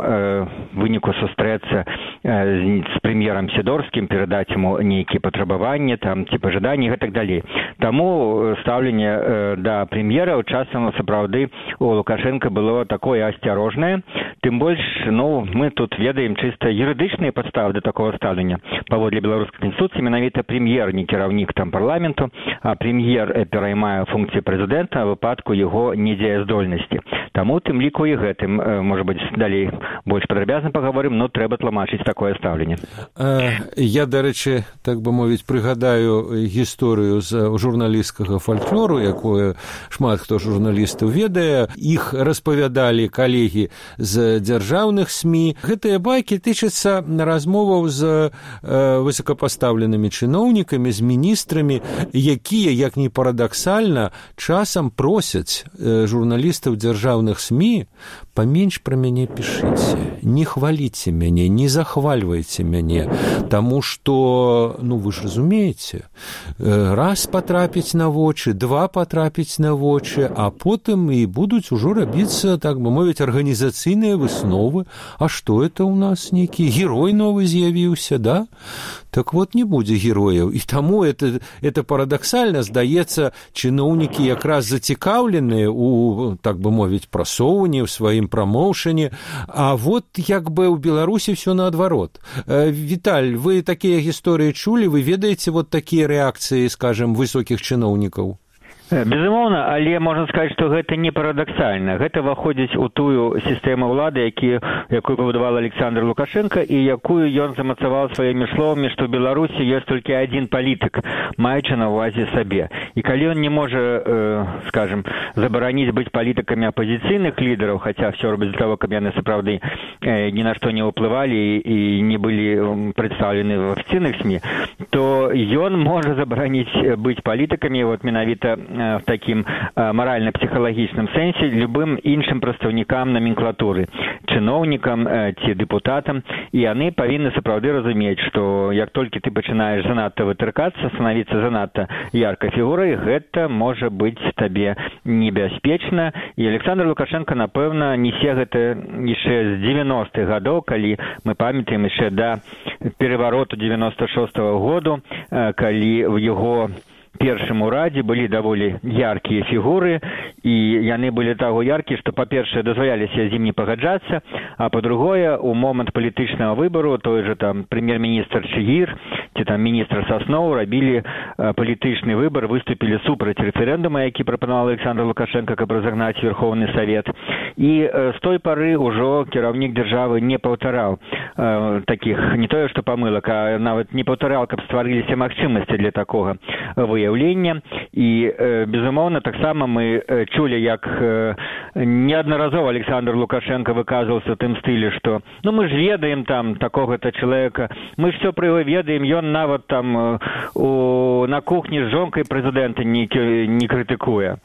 C: выніку сустрэцца з прэм'ерам Сідорскім, перадаць яму нейкія патрабаванні, там, ці пажаданні і гэтак далей. Таму стаўленне да прэм'ераў часам сапраўды у Лукашенка было такое асцярожнае. Тым больш, мы тут ведаем чыста юрыдычныя падставы да такого стаўлення. Паводле беларускай канстытуцыі менавіта прэм'ер не кіраўнік там парламенту, а прэм'ер пераймае функцыі прэзідэнта ў выпадку яго недзеяздольнасці. Таму тым ліку і гэтым, можа быць, далей больш падрабязна паговорым, но трэба тлумачыць такое стаўленне.
B: Я, дарэчы, так бы мовіць, прыгадаю гісторыю з журналісцкага фальклору, якое шмат хто журналістаў ведае. Іх распавядалі калегі з дзяржаўных СМІ. Гэтыя байкі тычацца размоваў з высокапастаўленымі чыноўнікамі, з міністрамі, якія, як ні парадаксальна, часам просяць журналістаў дзяржаўных СМІ: паменш пра мяне пішыце, не хваліце мяне, не захвальвайце мяне, таму што, вы ж разумееце, раз патрапіць на вочы, два патрапіць на вочы, а потым і будуць ужо рабіцца, так бы мовіць, арганізацыйныя высновы. А што это ў нас нейкі герой новы з'явіўся, да? Так вот, не будзе герояў. І таму это парадаксальна, здаецца, чыноўнікі якраз зацікаўленыя у, так бы мовіць, прасоўванні, ў сваім прамоўшане. А вот як бы ў Беларусі все наадварот. Віталь, вы такія гісторыі чулі? Вы ведаеце вот такія рэакцыі, скажем, высокіх чыноўнікаў?
C: Безумоўна, але можна сказаць, што гэта не парадаксальна. Гэта выходзіць у тую сістэму ўлады, якую пабудавал Александр Лукашенко і якую ён замацаваў сваімі словамі, што ў Беларусі ёсць толькі адзін палітык, маючы на ўвазе сабе. І калі ён не можа, скажем, забараніць быць палітыкамі апазіцыйных лідараў, хаця ўсё робіць для того, каб яны сапраўды ні на што не ўплывалі і не былі прадстаўлены в афіцыйных СМІ, то ён можа забараніць быць палітыкамі вот менавіта в такім маральна-псіхалагічным сэнсе любым іншым прадстаўнікам номенклатуры, чыноўнікам ці дэпутатам, і яны павінны сапраўды разумець, што як толькі ты пачынаеш занадта вытыркацца, станавіцца занадта яркай фігурай, гэта можа быць табе небяспечна. І Александр Лукашенко, напэўна, несе гэта яшчэ з 90-х гадоў, калі мы памятаем яшчэ да перавароту 96-го году, калі в яго першым урадзе былі даволі яркія фігуры, і яны былі таго яркія, што, па-першае, дазваляліся з ім не пагаджацца, а па-другое, у момант палітычнага выбару той же там прэм'ер-міністр Чигир ці там міністр Сасноў рабілі палітычны выбар, выступілі супраць рэферэндума, які прапанаваў Александр Лукашенко, каб разагнаць Верховны Савет. І з той пары ўжо кіраўнік дзяржавы не паўтараў такіх, не тое што памылак, а нават не паўтараў, каб стварыліся магчымасці для такога выяўлення. І, безумоўна, таксама мы чулі, як неаднаразова Александр Лукашенко выказваўся ў тым стылі, што мы ж ведаем там такога-то чалавека, мы ж все пра яго ведаем, ён нават там на кухні з жонкай прэзідэнта не крытыкуе.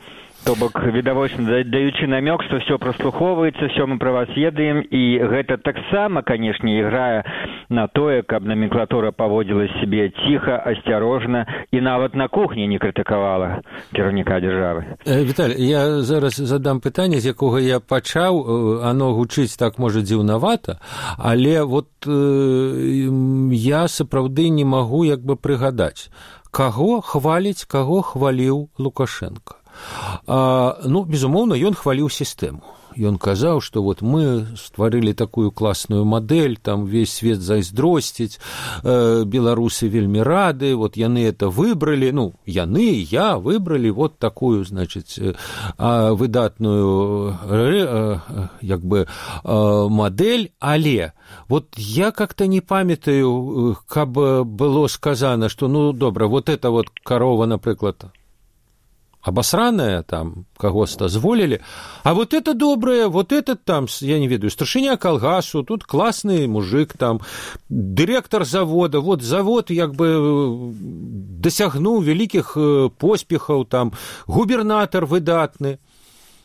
C: То бок, відавочна, даючы намёк, што ўсё праслухоўваецца, ўсё мы пра вас ведаем, і гэта таксама, канешне, іграе на тое, каб номенклатура паводзіла сябе ціха, асцярожна і нават на кухні не крытыкавала кіраўніка дзяржавы.
B: Віталь, я зараз задам пытанне, з якога я пачаў, оно гучыць так, можа, дзіўнавата, але вот я сапраўды не магу як бы прыгадаць, каго хваліць, каго хваліў Лукашенко. Безумоўна, ён хваліў сістэму. Ён казаў, што вот мы стварылі такую класную мадэль, там весь свет зайздросціць, беларусы вельмі рады, вот яны это выбралі, яны, я выбралі вот такую, значыць, выдатную як бы мадэль, але вот я как-то не памятаю, каб было сказано, што, добра, вот это вот карова, напрыклад, обосранная, там, кого-то зволили, а вот это доброе, вот этот там, я не ведаю, старшыня калгасу, тут классный мужик, там, директор завода, вот завод, як бы, досягнуў вялікіх поспехаў, там, губернатор выдатны.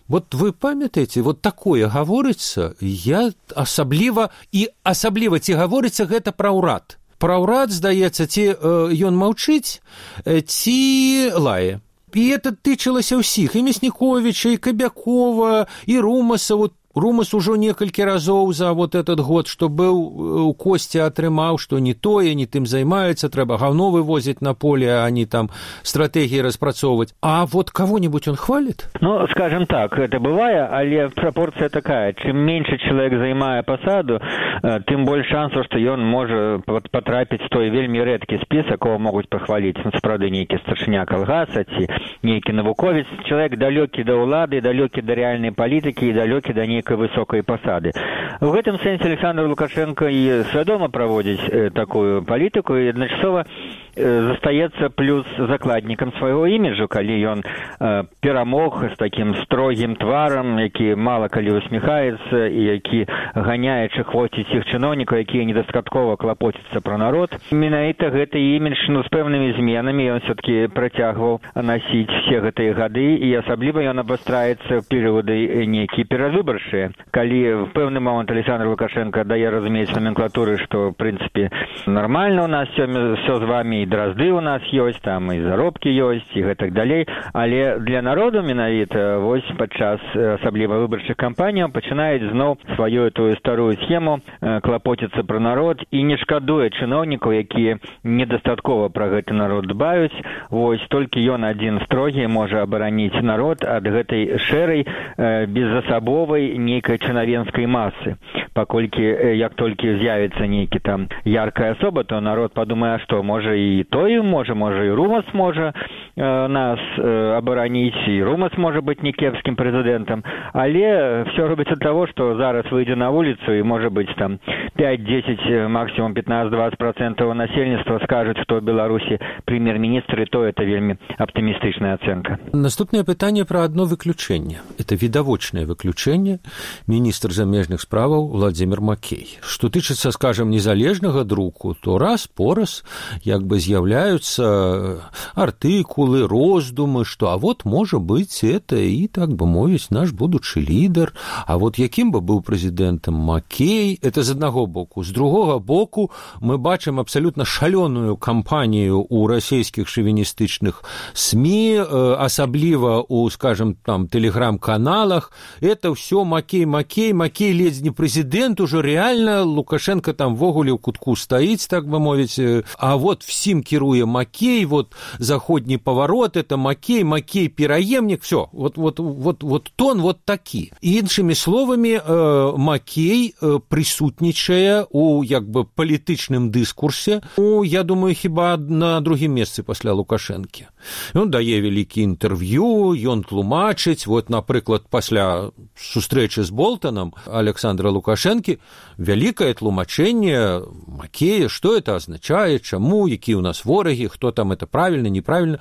B: Вот вы памятаеце, вот такое гаворыцца, я асабліва ці гаворыцца гэта пра ўрад. Пра ўрад, здаецца, ці ён маўчыць, ці лае. І это тычылася ўсіх, і Мясніковіча, і Кабякова, і Румаса. Вот Румас ужо некалькі разоў за вот этот год, што быў у Косці, атрымаў, што не тое, не тым займаецца, трэба гаўно вывозіць на поле, а не там стратэгіі распрацоўваць. А вот кого-нибудь он хвалит?
C: Скажем так, это бывае, але пропорция такая. Чым меньше человек займае пасаду, тым больш шансаў, што ён можа патрапіць в той вельмі рэдкі спіс, якого могуць пахваліць. Сапраўды нейкі старшыня калгаса ці нейкі навуковец. Человек далёкі да ўлады, далёкі да рэальнай палітыкі і далёкі да нейкай высокай пасады. В гэтым сэнсе Александр Лукашенко і свядома праводзіць такую палітыку і адначасова застаецца плюс закладнікам свайго іміджу, калі ён перамог з такім строгім тварам, які мала калі усміхаецца і які ганяе чахвоціць іх чыноўнікаў, якія недастаткова клапоцяцца пра народ. Менавіта гэты імідж з пэўнымі зменамі ён все-таки працягваў насіць все гэтыя гады, і асабліва ён абастраецца ў перыяды нейкія перавыбарчыя, калі в пэўны момант Александр Лукашенко дае разумець номенклатуры, што в прынцыпе нармальна у нас все з вами, і дразды у нас ёсць, там і заробкі ёсць, і гэтак далей, але для народу менавіта вось падчас асабліва выбарчых кампаніяў пачынаюць зноў сваю тую старую схему клапоціцца пра народ і не шкадуе чыноўнікаў, якія недастаткова пра гэты народ дбаюць. Вось толькі ён адзін строгі можа абараніць народ ад гэтай шэрай безасабовай нейкай чынавенскай масы. паколькі як толькі з'явіцца нейкі там яркая асоба, то народ падумае, што можа і той можа і Румас можа нас абараніць, і Румас можа быць не кепскім прэзідэнтам, але все робіцца ад таго, што зараз выйдзе на вуліцу і можа быць там 5-10, максімум 15-20% насельніцтва скажуць, што ў Беларусі прэм'ер-міністр, і то это вельмі аптымістычная ацэнка.
B: Наступнае пытанне пра адно выключэнне. Это відавочнае выключэнне, міністр замежных справаў Владзімір Макей. Што тычыцца, скажам, незалежнага друку, то раз-пораз як бы з'яўляюцца артыкулы, роздумы, што а вот можа быць это і, так бы мовіць, наш будучы лідар, а вот якім бы быў прэзідэнтам Макей, это з аднаго боку. З другога боку мы бачым абсалютна шалёную кампанію ў расійскіх шавіністычных СМІ, асабліва у, скажем, там, тэлеграм-каналах. Это ўсё Макей, ледзь не прэзідэнт, ужо реально Лукашенко там ввогуле ў кутку стаіць, так бы мовіць, а вот всім кіруе Макей, вот заходні паварот, это Макей пераемнік, все, вот тон вот такі. Іншымі словамі, Макей прысутнічае у як бы палітычным дыскурсе, я думаю, хіба на другім месцы пасля Лукашэнкі. Ён дае вялікі інтэрв'ю, ён тлумачыць, вот, напрыклад, пасля сустрэчы з Болтанам Александра Лукашэнкі вялікае тлумачэнне Макея, што это азначае, чаму, якія ў нас ворагі, хто там это правільна, неправільна.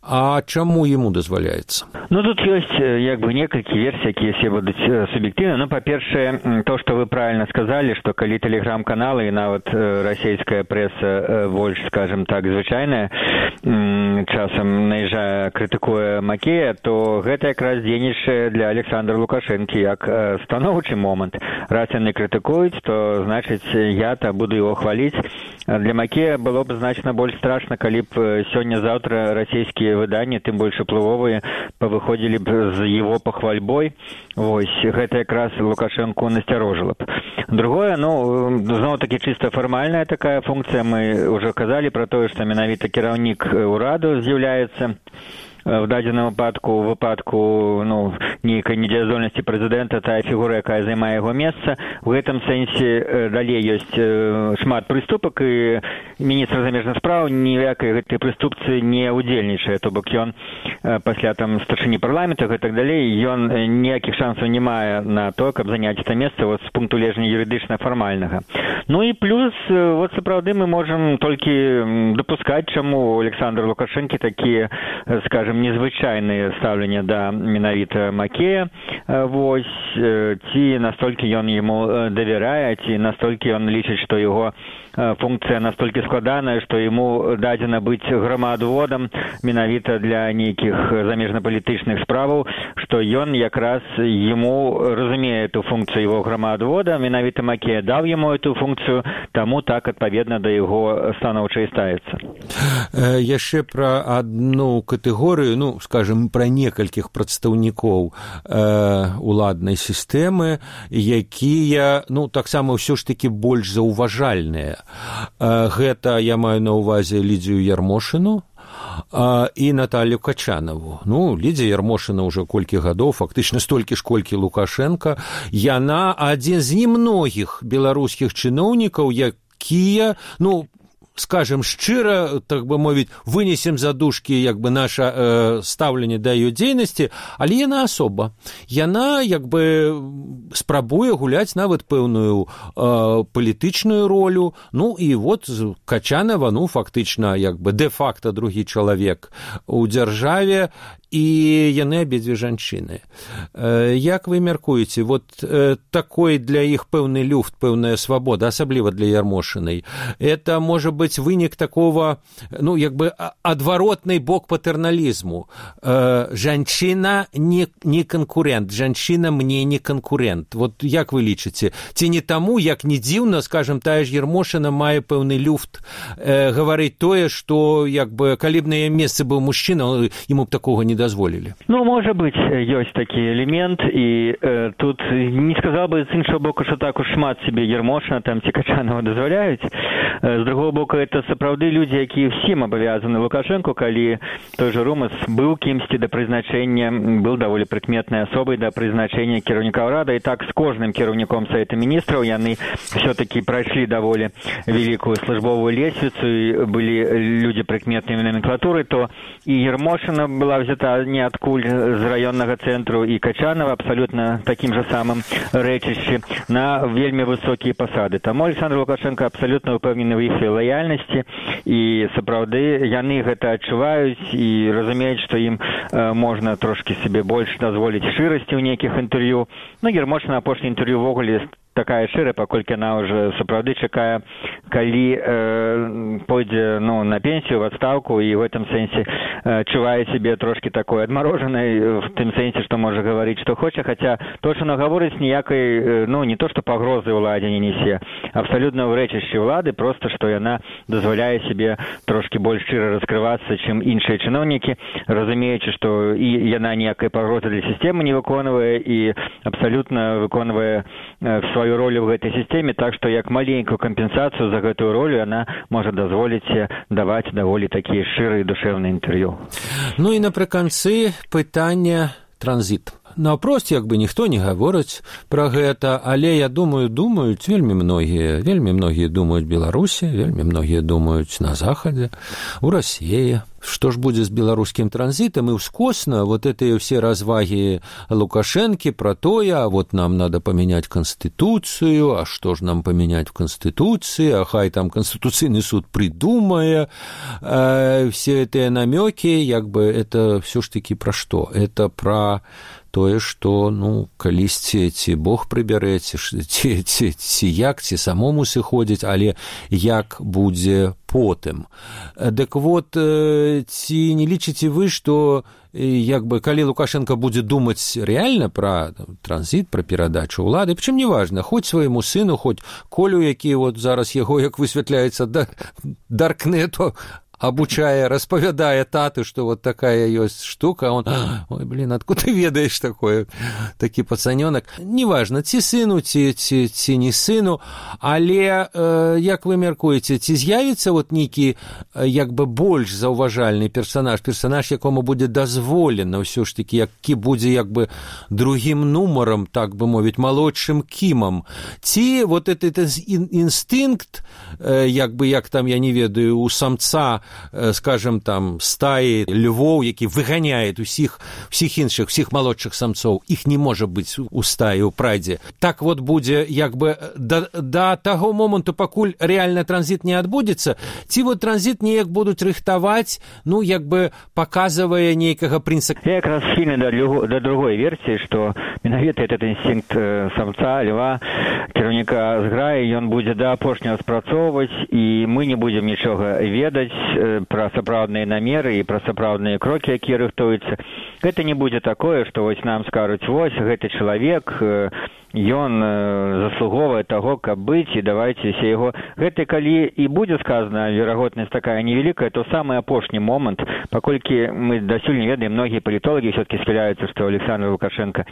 B: А чаму ему дазваляецца?
C: Ну, тут ёсць як бы некалькі версій, якія все будуць суб'ектыўна. Ну, па-першае, то, што вы правильно сказалі, што калі тэлеграм-каналы і нават расійская прэса больш, скажем так, звычайная, часам наязджае, крытыкуе Макея, то гэта якраз дзейнічае для Александра Лукашэнкі як станоўчы момант. Раз яны крытыкуюць, то, значыць, я-то буду его хваліць. Для Макея было б значна больш страшна, калі б сёння-заўтра расійскія выданні, тым больш уплывовыя, павыходзілі б з его пахвальбой. Вось, гэта якраз Лукашэнку насцярожыла б. Другое, ну, зноў-такі чыста фармальная такая функцыя. Мы ўжо казалі пра тое, што менавіта кіраўнік ураду з'яўляецца в дадзеным выпадку ну, нейкай недзеяздольнасці прэзідэнта, тая фігура, якая займае яго месца. У гэтым сэнсе далей ёсць шмат прыступак, і міністр замежных спраў ніякай гэтай прыступцы не удзельнічае. То бок ён пасля там старшыні парламента і так далей, ён ніякіх шансаў не мае на то, каб заняць это месца вот, з пункту гледжання юрыдычна-фармальнага. Ну і плюс, вот сапраўды мы можам толькі дапускаць, чаму Александр Лукашэнкі такія, скажем, незвычайныя стаўленне да менавіта Макея, вось, ці настолькі ён яму давярае, ці настолькі ён лічыць, што яго функцыя настолькі складаная, што яму дадзена быць грамаадводам менавіта для нейкіх замежнапалітычных справаў, што ён якраз яму разумее эту функцію яго грамаадвода, менавіта Макея даў яму эту функцію, таму так адпаведна да яго станоўча і ставіцца.
B: Яшчэ пра адну катэгорыю, ну, скажем, пра некалькіх прадстаўнікоў уладнай сістэмы, якія, ну, таксама ўсё ж такі больш заўважальныя. Гэта я маю на ўвазе Лідзію Ярмошыну і Наталью Качанову. Ну, Лідзія Ярмошына ўжо колькі гадоў, фактычна столькі ж, колькі Лукашенко. Яна адзін з немногіх беларускіх чыноўнікаў, якія, ну, скажем шчыра, так бы мовіць, вынесем за дужкі як бы наша стаўленне да яе дзейнасці, але яна асоба. Яна як бы спрабуе гуляць нават пэўную палітычную ролю. Ну і вот Качанова, ну фактычна як бы дэ-факта другі чалавек у дзяржаве, і яны абедзве жанчыны. Як вы мяркуеце, вот такой для іх пэўны люфт, пэўная свабода, асабліва для Ярмошынай, это можа быць вынік такого, ну, як бы адваротны бок патэрналізму. Жанчына не канкурент, жанчына мне не канкурент. Вот як вы лічыце? Ці не таму, як не дзіўна, скажем, тая ж Ярмошына мае пэўны люфт гаварыць тое, што як бы калі б на яе месцы быў мужчына, яму б такога не дазволілі.
C: Ну, можа быць, ёсць такі элемент, і тут не сказал бы з іншого боку, што так уж шмат себе Ярмошына там ці Качанова дазваляюць. З другого боку, это сапраўды людзі, якія всім абавязаны Лукашенко, калі той же Румас быў кімсьці да прызначэння, быў даволі прыкметнай асобай да прызначэння кіраўніка ўрада, і так з кожным кіраўніком Савета Міністраў яны все-таки прайшлі даволі великую службовую лесвицу, и были люди прикметные номенклатуры, то и Ермошина была взята ниоткуль с районного центра, и Качанова абсолютно таким же самым рэчышчы на вельмі высокие посады. Таму Александр Лукашенко абсолютно упэўнены в их лояльности, и сапраўды яны гэта адчуваюць и разумеюць, что им можно трошки себе больше дозволить шчырасці ў нейкіх інтэрв'ю. Ну, Ермошина апошні інтэрв'ю ввогуле такая шчырая, паколькі она уже сапраўды чакае, калі пойдзе на пенсію, в отставку, и в этом сенсе чувае себе трошки такой адмороженной, в тым сенсе, что можа говорить, что хоча, хотя то, что она говорит, ніякай, не то, что пагрозы ўладзе не несе, абсолютно в рэчышчы ўлады, просто, что яна дазваляе себе трошки больш шчыра раскрывацца, чым іншыя чыноўнікі, разумеючы, что і яна ніякай пагрозы для сістэмы не выконвае, і абсолютно выконвае свою роль в этой системе, так что як маленькую компенсацию за эту роль она может дозволить давать даволі такие шчырыя душевные интервью.
B: Ну и напрыканцы пытання транзит. Наўпрост як бы ніхто не гаворыць пра гэта, але я думаюць вельмі многія думаюць Беларусі, вельмі многія думаюць на Захадзе, у России. Что ж будет с белорусским транзитом? И ускосно вот эти все разваги Лукашенки про то, а вот нам надо поменять Конституцию, а что ж нам поменять в Конституции, а хай там Конституционный суд придумая, все эти намеки, як бы это все ж таки про что? Это про тое, што, калісьці ці Бог прыбярэ, ці як, ці самому сыходзіць, але як будзе потым. Дык вот, ці не лічыце вы, што як бы, калі Лукашенко будзе думаць рэальна пра транзіт, пра перадачу ўлады, прычым неважна, хоць свайму сыну, хоць Колю, які вот зараз яго, як высвятляецца, даркнету, обучая, распавядае таты, что вот такая ёсць штука, он, ой, блин, откуда ты ведаешь такое, такі пацанёнак. Неважна, ці сыну, ці не сыну, але, як вы мяркуеце, ці з'явіцца вот нейкі, як бы, больш заўважальны персонаж, якому будзе дазволена ўсё ж такі, які будзе, як бы, другім нумарам, так бы мовіць, малодшым кімам, ці вот этот інстынкт, як бы, як там, я не ведаю, у самца, скажем, там, стаи львоў, які выганяет усіх іншых, всіх малодшых самцоў, іх не можа быць у стаі, у прайдзе. Так вот будзе, як бы, да таго моманту, пакуль рэальна транзіт не адбудзецца, ці вот транзіт неяк будуць рыхтаваць, як бы, паказвае нейкага прынцыпа.
C: Я якраз схільны да другой версіі, што менавіта этот інстынкт самца, льва, кіраўніка зграі, ён будзе да апошняга спрацоўваць, і мы не будзем нічога ведаць пра сапраўдныя намеры і пра сапраўдныя крокі, якія рыхтуюцца. Гэта не будзе такое, што вось нам скажуць, вось гэты чалавек, ён заслуговае таго, каб быць, і давайце все яго. Гэта калі і будзе сказана, верагоднасць такая невялікая, то самы апошні момант, паколькі мы дасюль не ведаем, многія палітолагі ўсё-таки схіляюцца, што Александр Лукашенко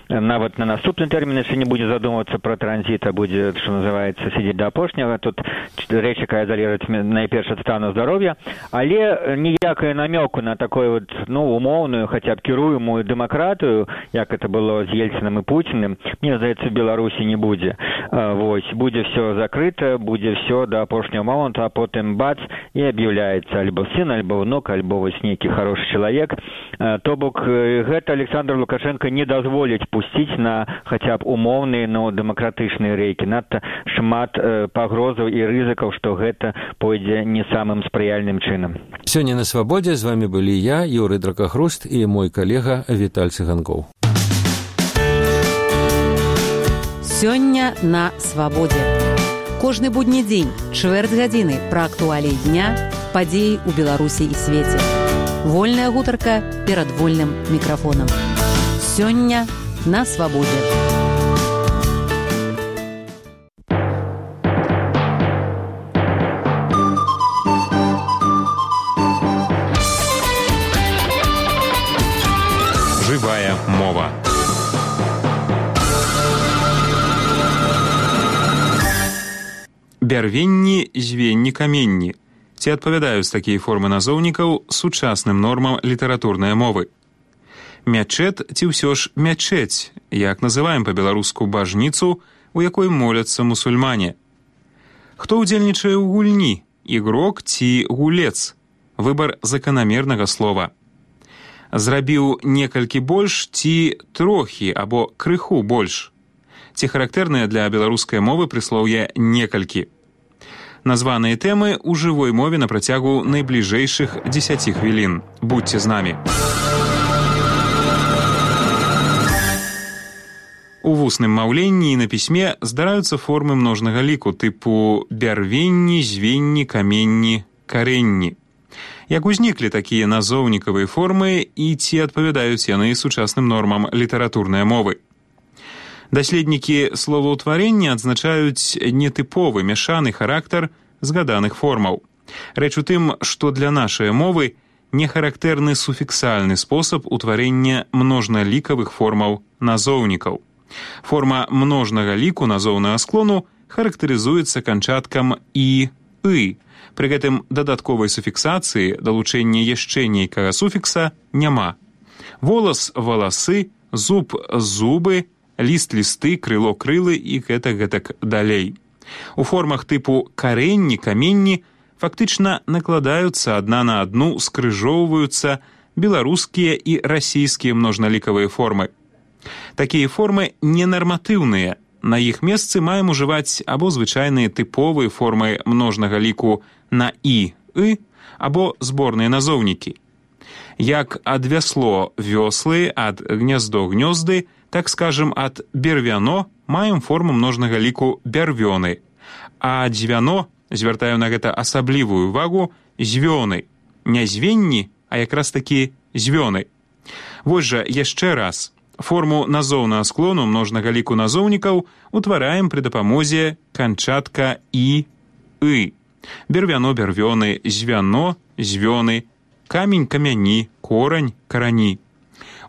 C: нават на наступны тэрмін яшчэ не будзе задумвацца пра транзіт, а будзе, што называецца, сидзець да апошняга. Тут рэч, якая залежыць найперш ад стану здароўя, але ніякая намёку на такой вот, умоўную, хаця б кіруемую дэмакратыю, як это было з Ельцынам і Пуціным, мне здаецца, в Беларусі не будзе. Вось, будзе все закрыта, будзе все до апошняга моманту, а потым бац, і аб'яўляецца альбо сын, альбо внук, альбо вось нейкі хорошы чалавек. То бок, гэта Александр Лукашенко не дазволіць пусціць на хаця б умоўныя, дэмакратычныя рэйкі. Надта шмат пагрозаў і рызыкаў, што гэта пойдзе не самым спрыяльным чынам.
B: Сёння на Свабодзе з вами былі я, Юрый Дракахруст, і мой калега Віталь Цыганкоў.
A: Сёння на Свабодзе. Кожны будні дзень, чвэрць гадзіны пра актуаліі дня, падзеі ў Беларусі і свеце. Вольная гутарка перад вольным мікрафонам. Сёння на Свабодзе.
D: Жывая мова. бярвенні, звенні, каменні. Ці адпавядаюць такія формы назоўнікаў сучасным нормам літаратурнай мовы. Мячэт ці ўсё ж мячэць, як называем па-беларуску бажніцу, у якой моляцца мусульмане. Хто ўдзельнічае ў гульні, ігрок ці гулец? Выбар заканамернага слова. Зрабіў некалькі больш ці трохі або крыху больш. Ці характэрныя для беларускай мовы прыслоўе некалькі. Названыя тэмы ў жывой мове на працягу найбліжэйшых 10 хвілін. Будьце з намі. У вусным маўленні і на пісьме здараюцца формы множнага ліку тыпу бярвенні, звенні, каменні, карэнні. Як узніклі такія назоўнікавыя формы і ці адпавядаюць яны сучасным нормам літаратурнай мовы? Даследнікі словаўтварення адзначаюць нетыповы мяшаны характар згаданых формаў. Рэч у тым, што для нашай мовы не характэрны суфіксальны спосаб утварэння множналікавых формаў назоўнікаў. Форма множнага ліку назоўнага склону характарызуецца канчаткам «і», «ы». Пры гэтым дадатковай суфіксацыі далучэння яшчэ нейкага суфікса няма. Волас – валасы, зуб – зубы, ліст – лісты, крыло – крылы і гэтак далей. У формах тыпу карэнні, каменні фактычна накладаюцца адна на адну, скрыжоўваюцца беларускія і расійскія множналікавыя формы. Такія формы ненарматыўныя. На іх месцы маем ужываць або звычайныя тыповыя формы множнага ліку на «і», «ы», або зборныя назоўнікі. Як ад вясло – вёслы, ад гняздо – гнёзды, так скажем, ад бервяно маем форму множнага ліку бярвёны, а дзвяно, звяртаю на гэта асаблівую увагу, звёны. Не звенні, а якраз такі звёны. Вось жа яшчэ раз. Форму назоўнага склону множнага ліку назоўнікаў утвараем пры дапамозе канчатка «і», «ы». Бервяно, бервёны, звяно, звёны, камень, камяні, корань, карані.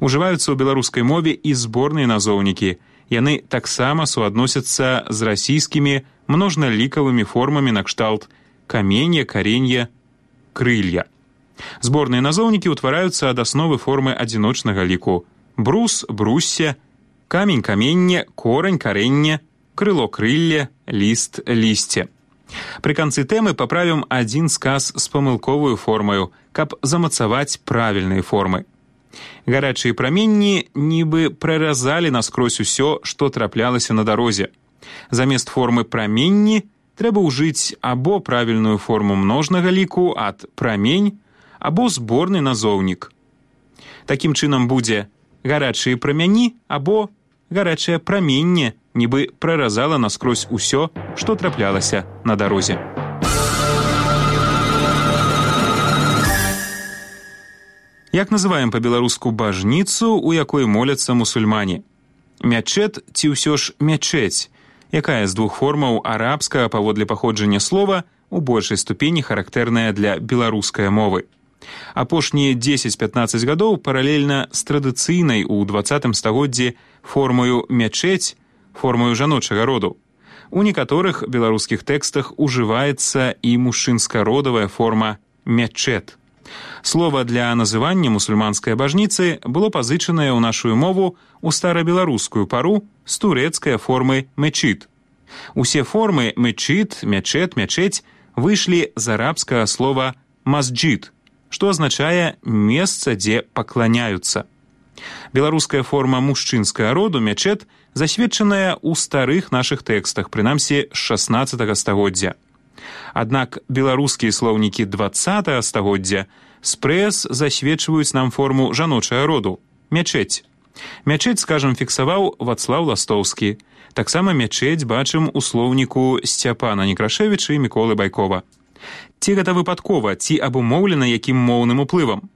D: Ужываюцца ў беларускай мове і зборныя назоўнікі. Яны таксама суадносяцца з расійскімі множналікавымі формамі накшталт каменья, каренья, крылья. Зборныя назоўнікі ўтвараюцца ад асновы формы адзіночнага ліку. Брус, бруссе, камень, каменне, корань, каренне, крыло, крылле, ліст, лісце. Пры канцы тэмы паправім адзін сказ з памылковую формаю, каб замацаваць правільныя формы. Гарачыя праменні нібы праразалі наскрозь усё, што траплялася на дарозе. Замест формы праменні трэба ўжыць або правільную форму множнага ліку ад прамень, або зборны назоўнік. Такім чынам будзе гарачыя прамяні або гарачае праменне, нібы праразала наскрозь усё, што траплялася на дарозе. Як называем па-беларуску бажніцу, у якой моляцца мусульмане? Мячэт ці ўсё ж мячэць, якая з двух формаў арабскага паводле паходжання слова у большай ступені характэрная для беларускай мовы. Апошнія 10-15 гадоў паралельна з традыцыйнай у 20 стагоддзі формою мячэць, формою жаночага роду. У некаторых беларускіх тэкстах ужываецца і мужчынска-родавая форма мячэт. Слова для называння мусульманскай бажніцы было пазычанае ў нашу мову ў старабеларускую пару з турэцкай формы мечит. Усе формы мечит, мячэт, мячэць выйшлі з арабскага слова масджид, што азначае месца, дзе пакланяюцца. Беларуская форма мужчынскага роду мячэт засведчаная ў старых нашых тэкстах, прынамсі з 16 стагоддзя. Аднак беларускія слоўнікі 20 стагоддзя спрэс засведчваюць нам форму жаночага роду мячэць. Мячэць, скажам, фіксаваў Вацлаў Ластоўскі. Таксама мячэць бачым у слоўніку Сцяпана Некрашевіча і Міколы Байкова. Ці гэта выпадкова, ці абумоўлена якім моўным уплывам?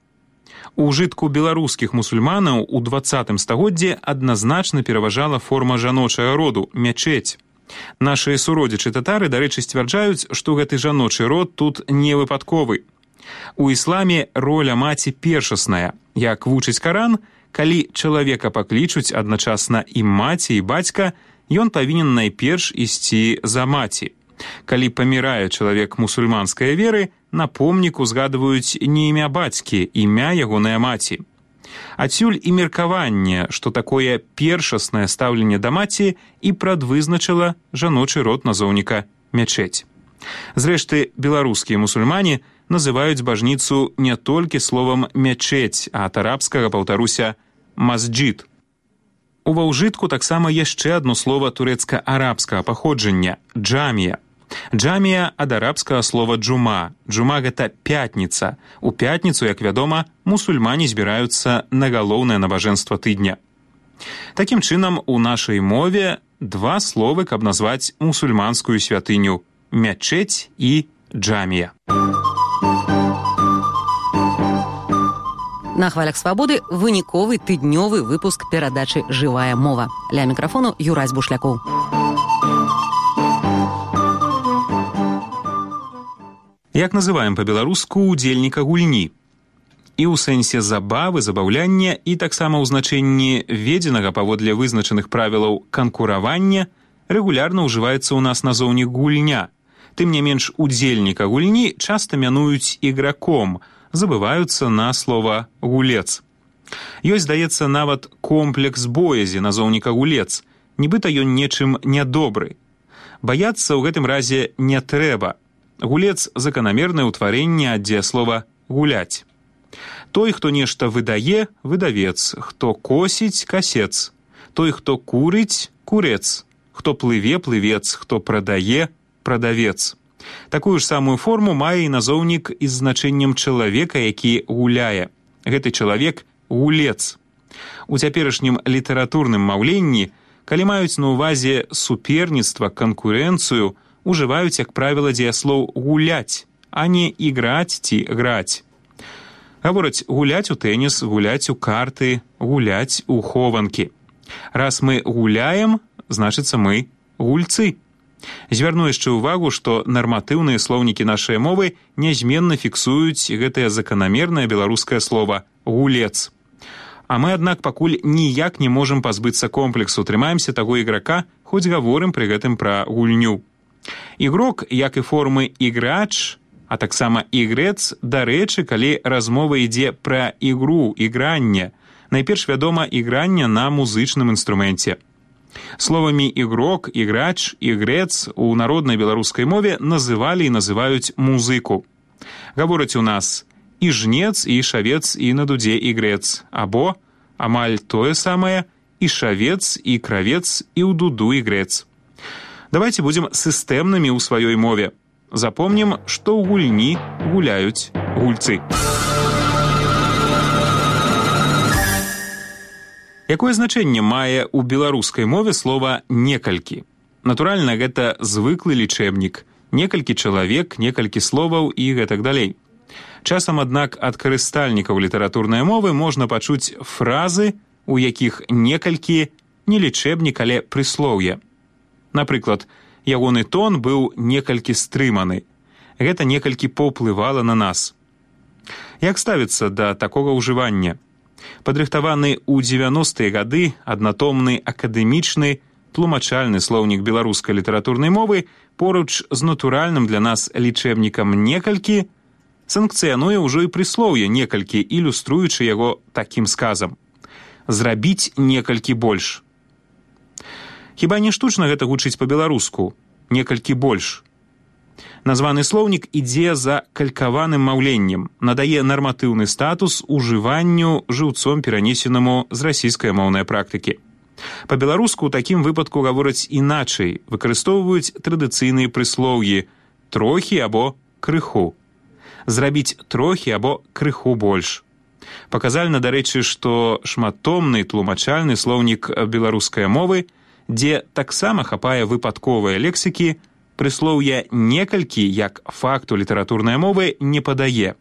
D: У ўжытку беларускіх мусульманаў у 20 стагоддзі адназначна пераважала форма жаночага роду мячэць. Нашыя суродзічы татары, дарэчы, сцвярджаюць, што гэты жаночы род тут не выпадковы. У ісламе роля маці першасная. Як вучыць Каран, калі чалавека паклічуць адначасна і маці, і бацька, ён павінен найперш ісці за маці. Калі памірае чалавек мусульманскай веры, на помніку згадваюць не імя бацькі, імя ягонай маці. Адсюль і меркаванне, што такое першаснае стаўленне да маці і прадвызначыла жаночы род назоўніка мячэць. Зрэшты, беларускія мусульмане называюць бажніцу не толькі словам мячэць, а ад арабскага, паўтаруся, масджид. Ува ўжытку таксама яшчэ адно слова турэцка-арабскага паходжання – джамія. Джамія ад арабскага слова джума. Джума – гэта пятніца. У пятніцу, як вядома, мусульмане збіраюцца на галоўнае набажэнства тыдня. Такім чынам, у нашай мове два словы, каб назваць мусульманскую святыню – мячэць і джамія.
A: На хвалях свабоды выніковы тыднёвы выпуск перадачы «Жывая мова». Ля мікрафону Юрась Бушлякоў.
D: Як называем па-беларуску удзельніка гульні? І ў сэнсе забавы, забаўляння, і таксама ў значэнні введзенага паводле вызначаных правілаў канкуравання рэгулярна ўжываецца ў нас назоўнік гульня. Тым не менш, удзельніка гульні часта мянуюць іграком, забываюцца на слова гулец. Ёсць, здаецца, нават комплекс боязі назоўніка гулец, нібыта ён нечым нядобры. Баяцца ў гэтым разе не трэба. Гулец – заканамернае ўтварэнне ад дзеяслова «гуляць». Той, хто нешта выдае – выдавец, хто косіць – касец, той, хто курыць – курец, хто плыве – плывец, хто прадае – прадавец. Такую ж самую форму мае і назоўнік з значэннем чалавека, які гуляе. Гэты чалавек – гулец. У цяперашнім літаратурным маўленні, калі маюць на ўвазе суперніцтва, канкурэнцыю, ужываюць, як правіла, дзеяслоў «гуляць», а не «іграць» ці «граць». Гавораць гуляць у тэніс, гуляць у карты, гуляць у хованкі. Раз мы гуляем, значыцца мы гульцы. Звярну яшчэ ўвагу, што нарматыўныя слоўнікі нашай мовы нязменна фіксуюць гэтае заканамернае беларускае слова «гулец». А мы, аднак, пакуль ніяк не можам пазбыцца комплексу, трымаемся таго іграка, хоць гаворым пры гэтым пра гульню. Ігрок, як і формы іграч, а таксама ігрэц, дарэчы, калі размова ідзе пра ігру, ігранне, найперш вядома ігранне на музычным інструменце. Словамі ігрок, іграч, ігрэц у народнай беларускай мове называлі і называюць музыку. Гавораць у нас і жнец, і шавец, і на дудзе ігрэц, або, амаль тое самае, і шавец, і кравец, і ў дуду ігрэц. Давайте будзем сістэмнымі ў сваёй мове. Запомнім, што ў гульні гуляюць гульцы. Якое значэнне мае ў беларускай мове слова «некалькі»? Натуральна, гэта звыклы лічэбнік. Некалькі чалавек, некалькі словаў і гэтак далей. Часам, аднак, ад карыстальнікаў літаратурнай мовы можна пачуць фразы, у якіх некалькі не лічэбнік, але прыслоўе. Напрыклад, ягоны тон быў некалькі стрыманы. Гэта некалькі паўплывала на нас. Як ставіцца да такога ўжывання? Падрыхтаваны ў 90-е гады аднатомны акадэмічны тлумачальны слоўнік беларускай літаратурнай мовы поруч з натуральным для нас лічэбнікам некалькі санкцыянуе ўжо і прыслоўе некалькі, ілюструючы яго такім сказам. Зрабіць некалькі больш. Хіба не штучна гэта гучыць па-беларуску? Некалькі больш. Названы слоўнік ідзе за калькаваным маўленнем, надае нарматыўны статус ужыванню жыўцом перанесенаму з расійскай-моўнай практыкі. Па-беларуску ў такім выпадку гавораць іначай, выкарыстоўваюць традыцыйныя прыслоўі «трохі» або «крыху». Зрабіць трохі або крыху больш. Паказальна, дарэчы, што шматтомны тлумачальны слоўнік беларускай мовы, дзе таксама хапае выпадковыя лексікі, прыслоўя «некалькі» як факту літаратурнай мовы не падае.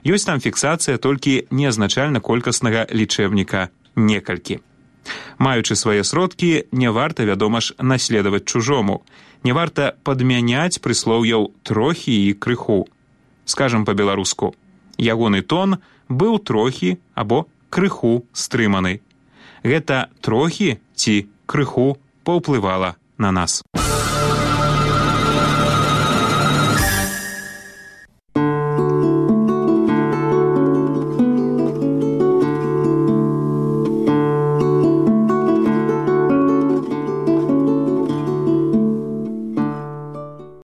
D: Ёсць там фіксацыя толькі неазначальна-колькаснага лічэбніка «некалькі». Маючы свае сродкі, не варта, вядома ж, наследаваць чужому. Не варта падмяняць прыслоўяў «трохі» і «крыху». Скажам па-беларуску, ягоны тон быў трохі або крыху стрыманы. Гэта трохі ці крыху паўплывала на нас.